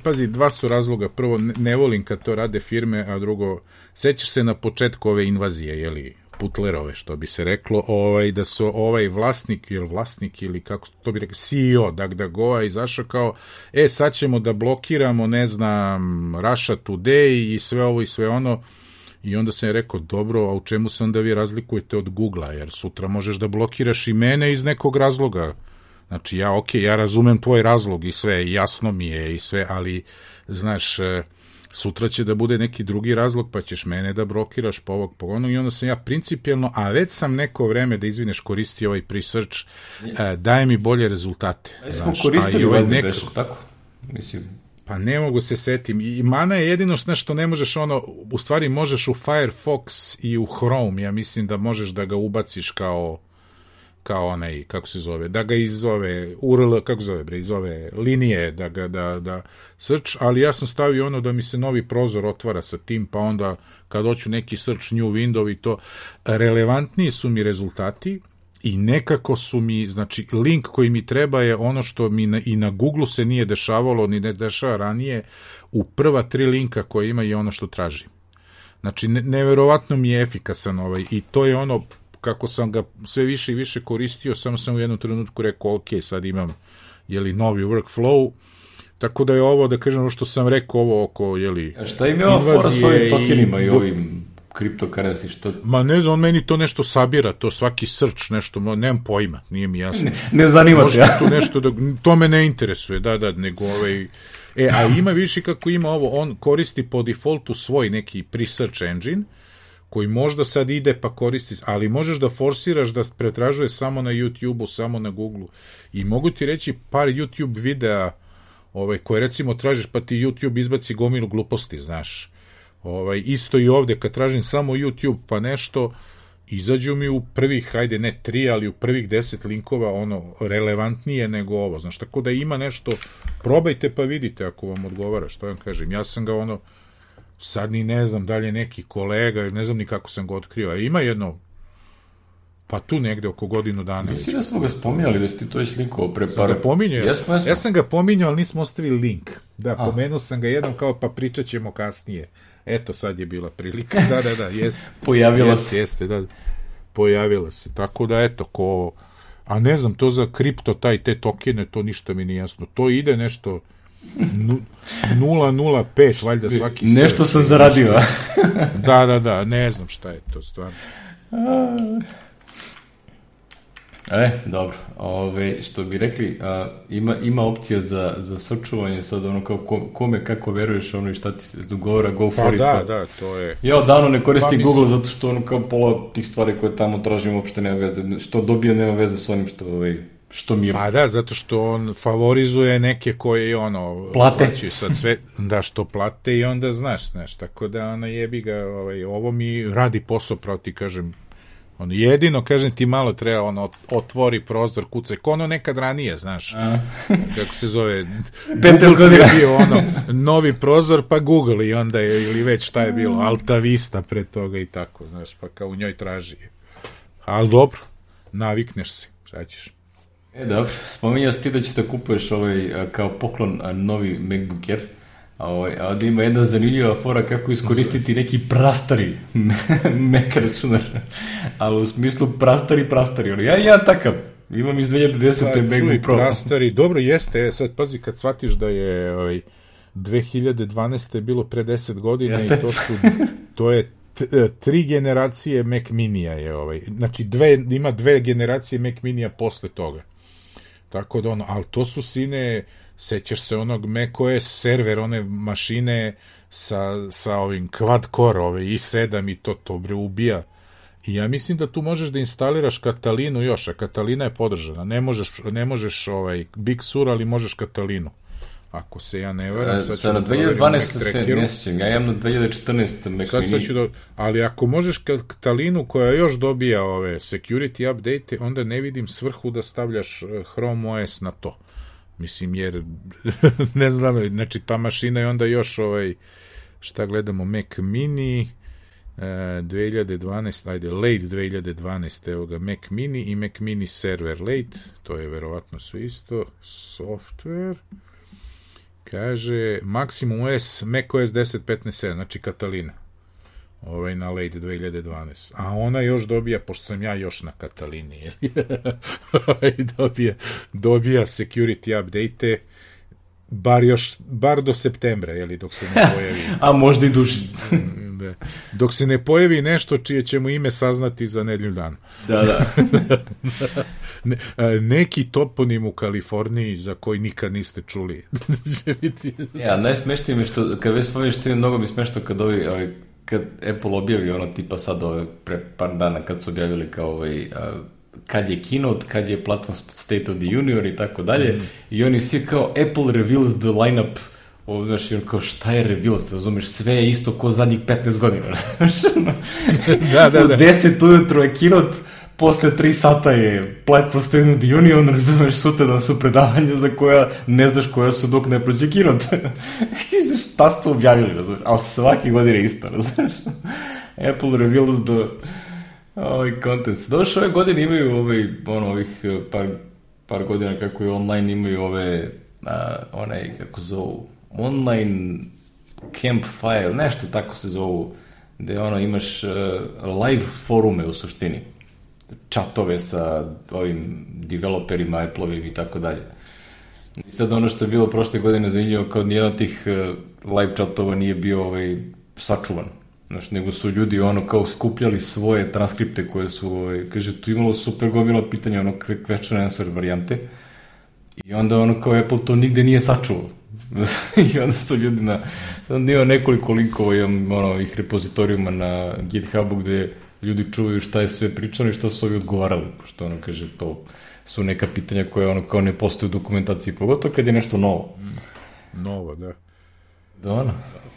pazi, dva su razloga, prvo, ne volim kad to rade firme, a drugo, sećaš se na početku ove invazije, Putlerove, što bi se reklo, da su vlasnik ili kako to bi rekli, CEO DuckDuckGo-a izašao kao, sad ćemo da blokiramo, ne znam, Russia Today i sve ovo i sve ono, i onda sam je rekao, dobro, a u čemu se onda vi razlikujete od Google-a, jer sutra možeš da blokiraš i mene iz nekog razloga. Znači, ja razumem tvoj razlog i sve, jasno mi je i sve, ali, znaš, sutra će da bude neki drugi razlog, pa ćeš mene da blokiraš po ovog, po ono, i onda sam ja principijelno, a već sam neko vreme, da izvineš, koristio ovaj pre-search, daje mi bolje rezultate. Smo koristili tako? Mislim... Pa ne mogu se setim. I mana je jedino što ne možeš u stvari možeš u Firefox i u Chrome, ja mislim da možeš da ga ubaciš kao onaj, kako se zove, da ga iz ove URL, kako zove bre, iz ove linije, da search, ali ja sam stavio da mi se novi prozor otvara sa tim, pa onda kad hoću neki search new window i to, relevantniji su mi rezultati i nekako su mi, znači, link koji mi treba je ono što mi i na Google se nije dešavalo, ni ne dešava ranije, u prva 3 linka koje ima je ono što tražim. Znači, neverovatno mi je efikasan i to je kako sam ga sve više i više koristio, samo sam u jednom trenutku rekao, ok, sad imam, novi workflow, tako da je ovo, da kažem, što sam rekao, ovo oko, A šta im je ova fora s ovim tokenima i ovim cryptocurrency, što... Ma ne znam, on meni to nešto sabira, to svaki search nešto, nemam pojma, nije mi jasno. Ne zanima te, ja? Tu nešto to me ne interesuje, nego a ima više kako ima ovo, on koristi po defaultu svoj neki pre-search engine, koji možda sad ide pa koristi, ali možeš da forsiraš da pretražuje samo na YouTube-u, samo na Google-u. I mogu ti reći par YouTube videa koje recimo tražiš pa ti YouTube izbaci gomilu gluposti, znaš. Isto i ovde, kad tražim samo YouTube pa nešto, izađu mi u prvih, hajde ne 3, ali u prvih 10 linkova relevantnije nego ovo, znaš, tako da ima nešto, probajte pa vidite ako vam odgovara, što vam kažem, ja sam ga sad ni ne znam da li je neki kolega, ne znam ni kako sam ga otkrio, a ima jedno, pa tu negde oko godinu dana. Mislim da smo ga spominjali, da si ti to već linkovao pre par... Ja sam ga pominjao, ali nismo ostavili link. Da, pomenuo sam ga jednom kao, pa pričat ćemo kasnije. Eto, sad je bila prilika. Da, jeste. Pojavila se. Jeste, da. Pojavila se. Tako da, eto, ko... A ne znam, to za kripto, te tokene, to ništa mi nije jasno. To ide nešto 0,05, valjda svaki... Nešto sam zaradio. Da, ne znam šta je to, stvarno. Dobro. Što bi rekli, ima opcija za sačuvanje, sad ono kao kome kako veruješ, ono i šta ti se dogovora, go for it. Da, to je... Ja davno ne koristim Google zato što ono kao pola tih stvari koje tamo tražim uopšte nema veze, što dobije nema veze s onim što mi je... Pa da, zato što on favorizuje neke koje ono... Plate. Sad sve, da, što plate i onda znaš, tako da ona jebi ga, ovo mi radi posao, pravo ti kažem, ono, jedino, kažem ti, malo treba, ono, otvori prozor, kucaj, ko ono nekad ranije, znaš, kako se zove, Google je bio, ono, novi prozor, pa Google, i onda je, ili već šta je bilo, Alta Vista pred toga i tako, znaš, pa kao u njoj traži. Ali dobro, navikneš se, šta ćeš. Dobro, spominjao si ti da ćeš da kupuješ kao poklon novi MacBook Air, a ovdje ima jedna zanimljiva fora kako iskoristiti neki prastari Mac računar, ali u smislu prastari, ja takav, imam iz 2010. MacBook Pro. Prastari, dobro jeste, sad pazi kad shvatiš da je 2012. bilo pre 10 godina. Jeste. I to je 3 generacije Mac Minija je znači ima 2 generacije Mac Minija posle toga. Tako da ali to su sine, sećaš se onog macOS server, one mašine sa ovim quad core, i7 i to bre ubija. I ja mislim da tu možeš da instaliraš Katalinu još, a Katalina je podržana. Ne možeš Big Sur, ali možeš Katalinu. Ako se ja ne varam, sad na 2012 se ne sjećam, ja imam na 2014 Mac Mini. Ali ako možeš Katalinu koja još dobija ove security update, onda ne vidim svrhu da stavljaš Chrome OS na to. Mislim, jer ne znam, znači ta mašina je onda još šta gledamo, Mac Mini 2012, ajde, late 2012, evo ga, Mac Mini i Mac Mini server late, to je verovatno sve isto, software, kaže, Maximum OS, macOS 10.15.7, znači Katalina, na late 2012, a ona još dobija, pošto sam ja još na Katalini, dobija security update, bar do septembra, dok se ne pojavi. A možda i duži. Dok se ne pojavi nešto čije ćemo ime saznati za nedelju dana. Da. Neki toponim u Kaliforniji za koji nikad niste čuli. Ja, najsmešnije mi što, kad već spominješ, to je mnogo mi smešno kad Apple objavi tipa sad pre par dana kad su objavili kao kad je keynote, kad je platform State of the Union i tako dalje, i oni svi kao Apple reveals the lineup, znaš, kao šta je reveals, razumeš, sve je isto ko zadnjih 15 godina, da. U 10 ujutro je keynote, posle 3 sata je platform State of the Union, razumeš, sutradan su predavanja za koja ne znaš koja su dok ne prođe keynote. Šta ste objavili, razumeš, ali svaki godin je isto, razumeš. Apple reveals the contents. Došle ove godine imaju ovih par godina kako je online, imaju kako zovu, online campfire, nešto tako se zovu, gde imaš live forume u suštini, chatove sa ovim developerima, Apple-ovim i tako dalje. I sad ono što je bilo prošle godine zanimljivo, kao nijedan od tih live chatova nije bio sačuvan. Znaš, nego su ljudi kao skupljali svoje transkripte koje su, kaže, tu imalo super gomila pitanja, question answer varijante, i onda kao Apple to nigde nije sačuvao. I onda su ljudi onda ima nekoliko linkova, imam ovih repozitorijuma na GitHubu gde ljudi čuvaju šta je sve pričano i šta su ovi odgovarali, pošto kaže, to su neka pitanja koje kao ne postoje u dokumentaciji, pogotovo kad je nešto novo. Novo, da. Da,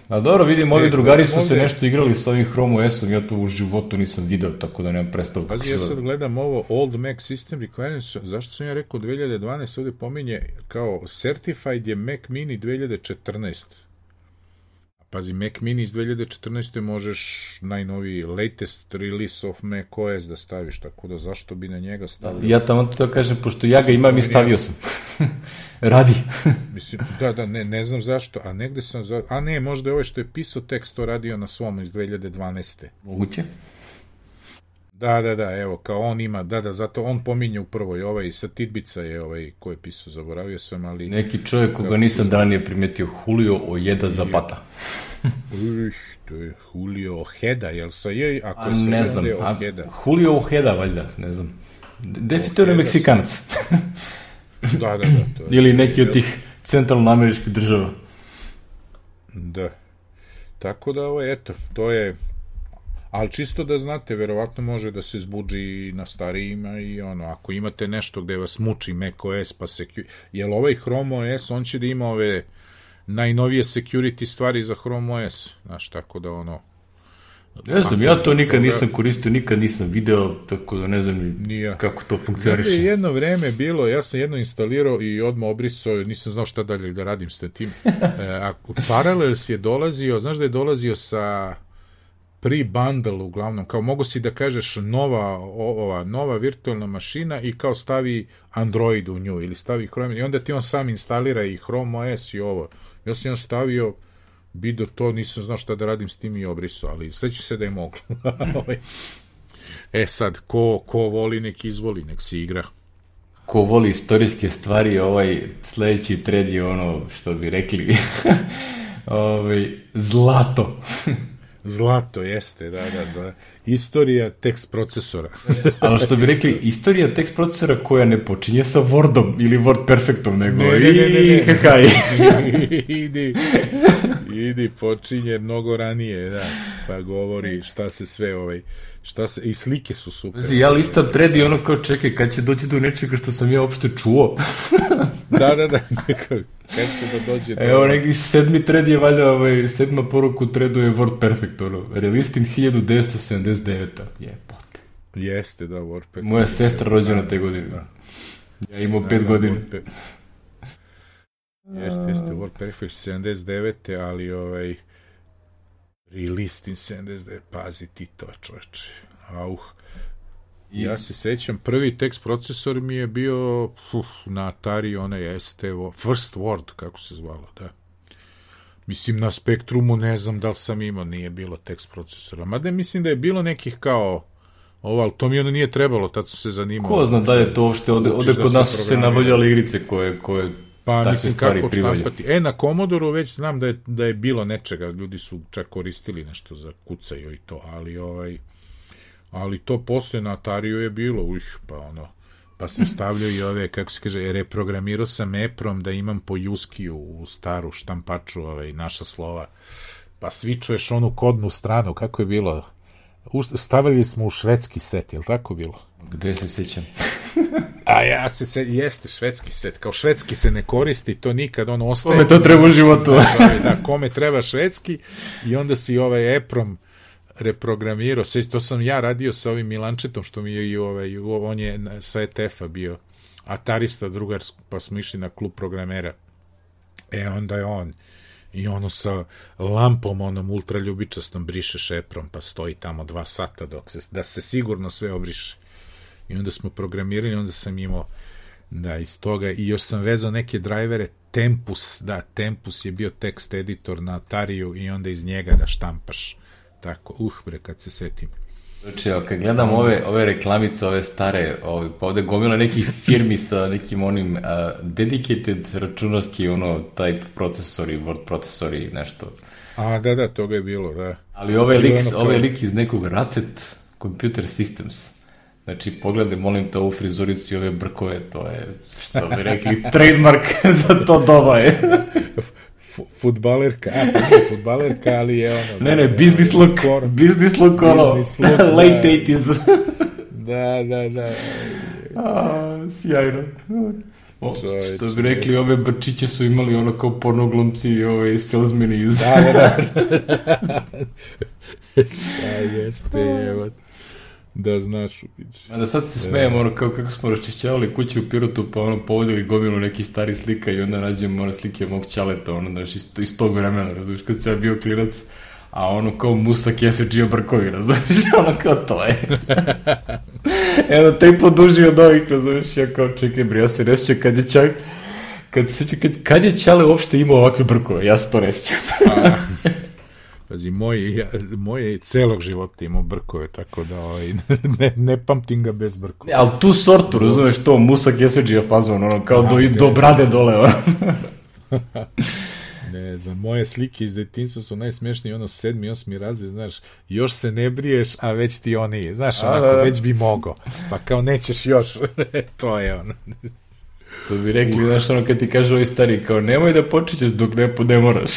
a dobro, vidim, ovi drugari su se nešto igrali sa ovim Chrome OS-om, ja to u životu nisam video, tako da nemam predstavu. Pazi, ja sad gledam ovo Old Mac System Requirements, zašto sam ja rekao 2012, ovdje pominje kao Certified je Mac Mini 2014. pazi, Mac Mini iz 2014. možeš najnoviji latest release of Mac OS da staviš, tako da zašto bi na njega stavio? Ja tamo to kažem, pošto ja ga imam i stavio sam. Radi. Mislim, da, ne znam zašto, a negde sam, a ne, možda je ovo što je pisao tekst to radio na svom iz 2012. Moguće. Da, evo, kao on ima, da, zato on pominje u prvoj, ovaj, sa Tidbica je ko je pisao, zaboravio sam, ali... Neki čovjek koga nisam ranije primetio, Julio Ojeda Zapata. To je Julio Ojeda, jel sa je, ako je ne znam, Ojeda. Julio Ojeda, valjda, ne znam. Definitivno je Meksikanac. Da. To je, ili neki od tih centralnoameričkih država. Da. Tako da, eto, to je... Ali čisto da znate, verovatno može da se zbuđi na starijima i ako imate nešto gde vas muči macOS, pa jel ovaj Chrome OS, on će da ima ove najnovije security stvari za Chrome OS, znaš, tako da Ne znam, ja to nikad nisam koristio, nikad nisam video, tako da ne znam kako to funkcioniše. Jedno vreme bilo, ja sam jedno instalirao i odmah obrisao, nisam znao šta dalje da radim s tim. Parallels je dolazio, znaš da je dolazio sa pre-bundle uglavnom, kao mogu si da kažeš nova virtualna mašina i kao stavi Android u nju ili stavi Chrome i onda ti on sam instalira i Chrome OS i ovo. Ja sam stavio video to, nisam znao šta da radim s tim i obrisao, ali sveći se da je moglo. Sad, ko voli nek izvoli, nek se igra. Ko voli istorijske stvari, sledeći thread je što bi rekli zlato. Zlato, jeste, da, za istorija tekst procesora. Ali što bi rekli, istorija tekst procesora koja ne počinje sa Wordom ili Word Perfectom, nego idi, počinje mnogo ranije, da, pa govori šta se sve, i slike su super. Ja listam thread i kao čekaj, kad će doći do nečega što sam ja uopšte čuo. Da, kad će da dođe do... Evo, neki 7. thread je valjda, 7. poruku threadu je Word Perfect, released in 1979. Jebote. Jeste, da, Word Perfect. Moja sestra rođena te godine. Ja imao 5 godina. Jeste, Word Perfect 79. ali released in 79. Pazi ti to, čoveče. Ja se sećam, prvi tekst procesor mi je bio na Atari, First Word, kako se zvalo, da. Mislim, na Spektrumu ne znam da li sam imao, nije bilo tekst procesora. Mada mislim da je bilo nekih kao ali to mi nije trebalo, tad su se zanimalo. Ko zna da je to uopšte, ovde kod nas su se nabavljale igrice koje pa mislim kako štampati. Na Commodore već znam da je bilo nečega, ljudi su čak koristili nešto za kucaju i to, ali to posle na Atariju je bilo, pa sam stavljao i ove, kako se kaže, reprogramirao sam EPROM da imam po Juskiju u staru štampaču naša slova, pa svičuješ onu kodnu stranu, kako je bilo? Stavili smo u švedski set, je li tako bilo? Gde se sećam? Jeste švedski set, kao švedski se ne koristi, to nikad, ostaje... Kome to treba u životu? Da, kome treba švedski i onda si EPROM reprogramirao, to sam ja radio sa ovim Milančetom, što mi je on je sa ETF-a bio atarista drugar, pa smo išli na klub programera. Onda je on i sa lampom, ultraljubičastom brišeš EPROM, pa stoji tamo 2 sata da se sigurno sve obriše. I onda smo programirali, onda sam imao iz toga, i još sam vezao neke drajvere, Tempus je bio tekst editor na Atariju i onda iz njega da štampaš. Tako, kad se setim. Znači, kad gledam ove reklamice, ove stare, pa ovde gomila nekih firmi sa nekim dedicated računarski, type procesori, word procesori, nešto. Da, toga je bilo, da. Ali ovaj lik iz nekog Racet Computer Systems. Znači, pogledaj, molim te, ovu frizuricu i ove brkove, to je, što bi rekli, trademark za to doba je. Futbalerka, ali je Ne, business look, late 80s. Da. Sjajno. Što bi rekli, ove brčiće su imali kao pornoglumci i salesmeni iz... Da. Jeste, evo. Da znaš. A da sad se smejem, ono, kako smo raščišćavali kuću u Pirotu, pa ono, povodili gomilu neki stari slika i onda nađemo ono slike mog ćaleta, ono, znaš, iz tog vremena, razumiješ, kad sam bio klinac, a ono kao Musa Keseđija Brkovi, razumiješ, ono kao to je. Eno, te i poduži od ovih, razumiješ, ja kao čekaj, bre, ja se ne sjećam kad je Ćale uopšte imao ovakve brkove, ja se to ne sjećam. Pazi, moje celog života imao brkove, tako da ne pamtim ga bez brkova. Ali tu sortu, razumeš, to Musa Keseđija fazon, ono, kao do brade dole, ono. Ne znam, moje slike iz detinjstva su najsmešnije, ono 7. i 8. razred, znaš, još se ne briješ, a već ti oni, znaš, onako, već bi mogao, pa kao nećeš još, to je ono. To bi rekli, znaš, ono, kad ti kaže ovi stari, kao, nemoj da počećeš dok ne moraš,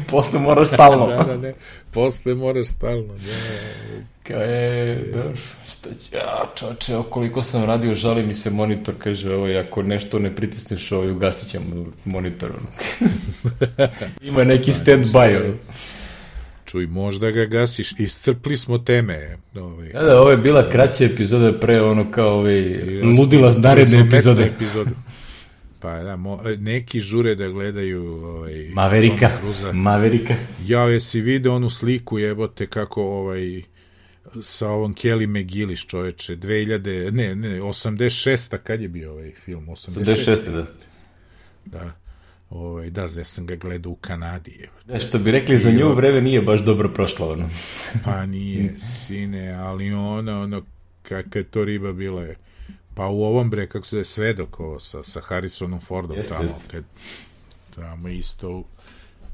posle moraš stalno. Da, posle moraš stalno, Kao dobro, šta ću, čoče, koliko sam radio, žali mi se monitor, kaže, ako nešto ne pritisneš, ugasit ćemo monitor, ima neki stand-by, Čuj, možda ga gasiš, iscrpli smo teme. Da, ovo je bila kraća epizoda pre ono kao ludila naredne epizode. Pa da, neki žure da gledaju Maverika. Ja, jesi video onu sliku, jebote, kako sa ovom Kelly McGillis, čoveče, 86. kad je bio ovaj film? 86. da. Da, ja sam ga gledao u Kanadi. Što bi rekli, za nju vreme nije baš dobro prošlo, ono. Pa nije, sine, ali ono, kakva je to riba bila je. Pa u ovom kako se je Svedok, ovo, sa Harrisonom Fordom, tamo isto,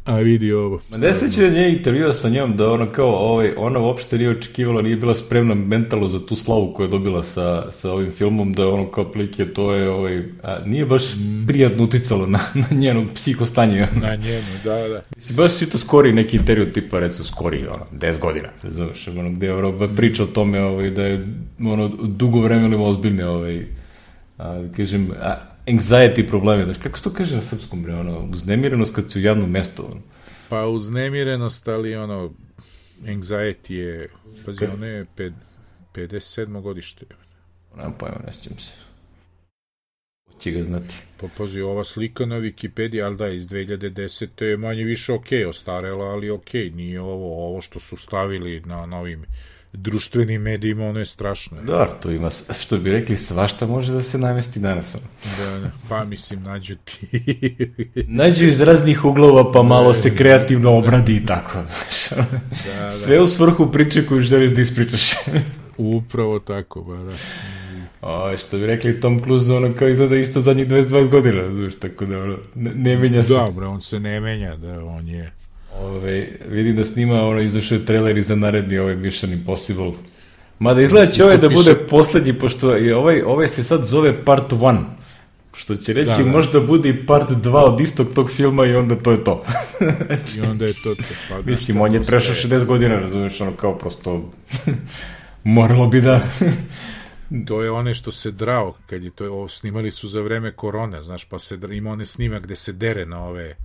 a vidi ovo. Ne seća da nije intervjuo sa njom, da ono kao, ona uopšte nije očekivala, nije bila spremna mentalno za tu slavu koju je dobila sa ovim filmom, da ono kao plike, to je, nije baš prijatno uticalo na njeno psihostanje. Na njenu, da. Baš si to skori neki intervju, tipa, recimo, skori, 10 godina, znaš, gde je priča o tome, da je, dugo vremena ozbiljne, kažem, anxiety probleme, znaš, kako se to kaže na srpskom, bre, uznemirenost kad si u javnom mestu, Pa uznemirenost, ali anxiety je, pazi, ono je 57. godište. Nemam pojma, ne sjećam se. Hoće ga znati. Pa pazi, ova slika na Wikipediji, ali da, iz 2010. je manje više ostarela, ali nije ovo što su stavili na novim društvenim medijima, ono je strašno. Da, to ima, što bi rekli, svašta može da se namesti danas. Da, pa mislim, nađu ti. Nađu iz raznih uglova, pa malo se kreativno obradi i tako. Sve u svrhu priče koju želiš da ispričaš. Upravo tako, ba da. Što bi rekli, Tom Cruise, kao izgleda isto zadnjih 22 godina, znaš, tako da ne menja se. Dobro, on se ne menja, da, on je... Vidim da snima, izašao je trailer i za naredni Mission Impossible. Mada izgleda će da bude poslednji, pošto ovaj se sad zove Part 1, što će reći možda bude i Part 2 od istog tog filma i onda to je to. I onda je to. Mislim, on je prešao 60 godina, razumiješ, kao prosto moralo bi da... To je one što se drao, kad je to snimali su za vreme korone, znaš, pa ima one snima gde se dere na ove...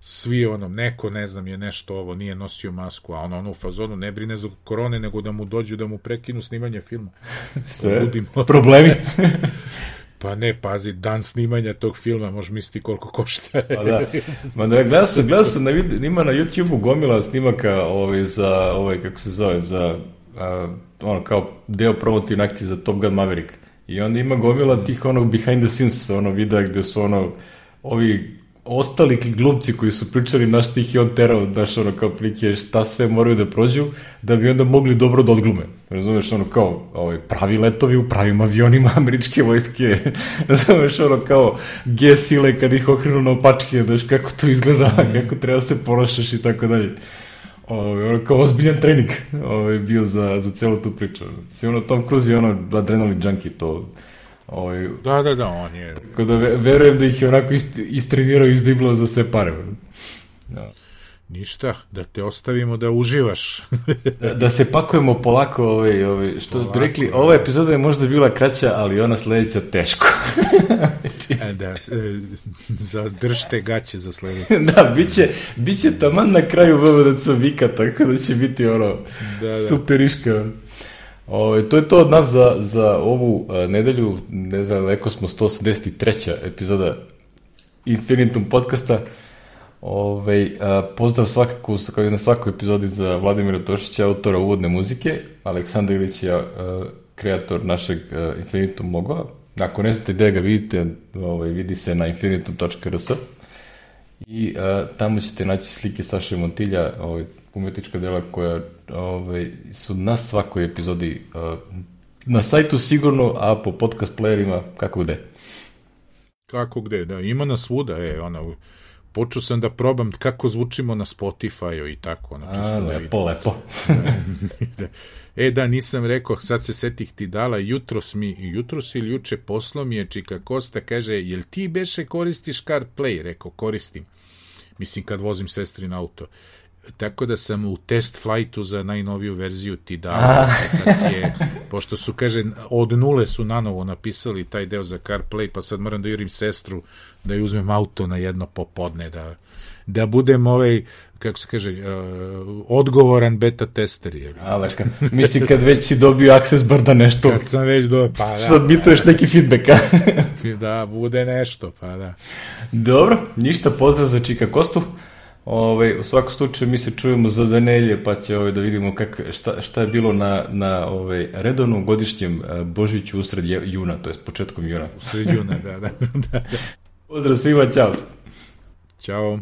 Svi neko, ne znam, je nešto nije nosio masku, a ono u fazonu ne brine za korone, nego da mu dođu da mu prekinu snimanje filma. Sve problemi. Pa ne, pazi, dan snimanja tog filma, možeš misliti koliko košta. Pa da. Gledao sam ima na YouTube-u gomila snimaka za, kako se zove, za kao deo promotivne akcije za Top Gun Maverick. I onda ima gomila tih behind the scenes, videa gde su ovi ostali glumci koji su pričali na što ih je on terao, znaš, kao plike šta sve moraju da prođu, da bi onda mogli dobro da odglume. Razumeš, kao pravi letovi u pravim avionima američke vojske, razumeš, kao G-sile kad ih okrenu na opačke, znaš, kako to izgleda, kako treba se ponašaš i tako dalje. Kao ozbiljan trening bio za celu tu priču. Tom Cruise je adrenalin junkie, to... Da, on je... Tako da verujem da ih je onako istrenirao i izdiblao za sve pare. Ništa, da te ostavimo da uživaš. Da se pakujemo polako, što bi rekli, ova epizoda je možda bila kraća, ali ona sledeća teško. Da, zadržite gaće za sledeće. Da, bit će taman na kraju VVDC vika, tako da će biti super iška. To je to od nas za ovu nedelju, ne znam, neko smo 183. epizoda Infinitum podcasta. Pozdrav svakako kao na svakoj epizodi za Vladimira Tošića, autora uvodne muzike. Aleksandar Ilić je kreator našeg Infinitum logoa. Ako ne znate gde ga vidite, vidi se na infinitum.rs i tamo ćete naći slike Saše Montilja, umetnička dela koja su na svakoj epizodi na sajtu sigurno, a po podcast playerima kako gde. Kako gde, da, ima nas svuda, počeo sam da probam kako zvučimo na Spotify-u i tako. Lepo. Da, nisam rekao, sad se setih Tidala, jutros ili juče poslo mi je Čika Kosta, kaže, jel ti beše koristiš CarPlay? Rekao, koristim. Mislim, kad vozim sestrin auto. Tako da sam u test flightu za najnoviju verziju Tidala, pošto su, kaže, od nule su nanovo napisali taj deo za CarPlay, pa sad moram da jurim sestru da ju uzmem auto na jedno popodne, da budem kako se kaže, odgovoran beta tester. Mislim, kad već si dobio access bar da nešto... Kad sam već dobio, submituješ neki feedback, Da, bude nešto, pa da. Dobro, ništa, pozdrav za Čika Kostu. U svakom slučaju mi se čujemo za Danelje, pa će da vidimo šta je bilo na redovnom godišnjem Božiću usred juna, to je početkom juna. Usred juna, da. Pozdrav svima, čao. Ćao.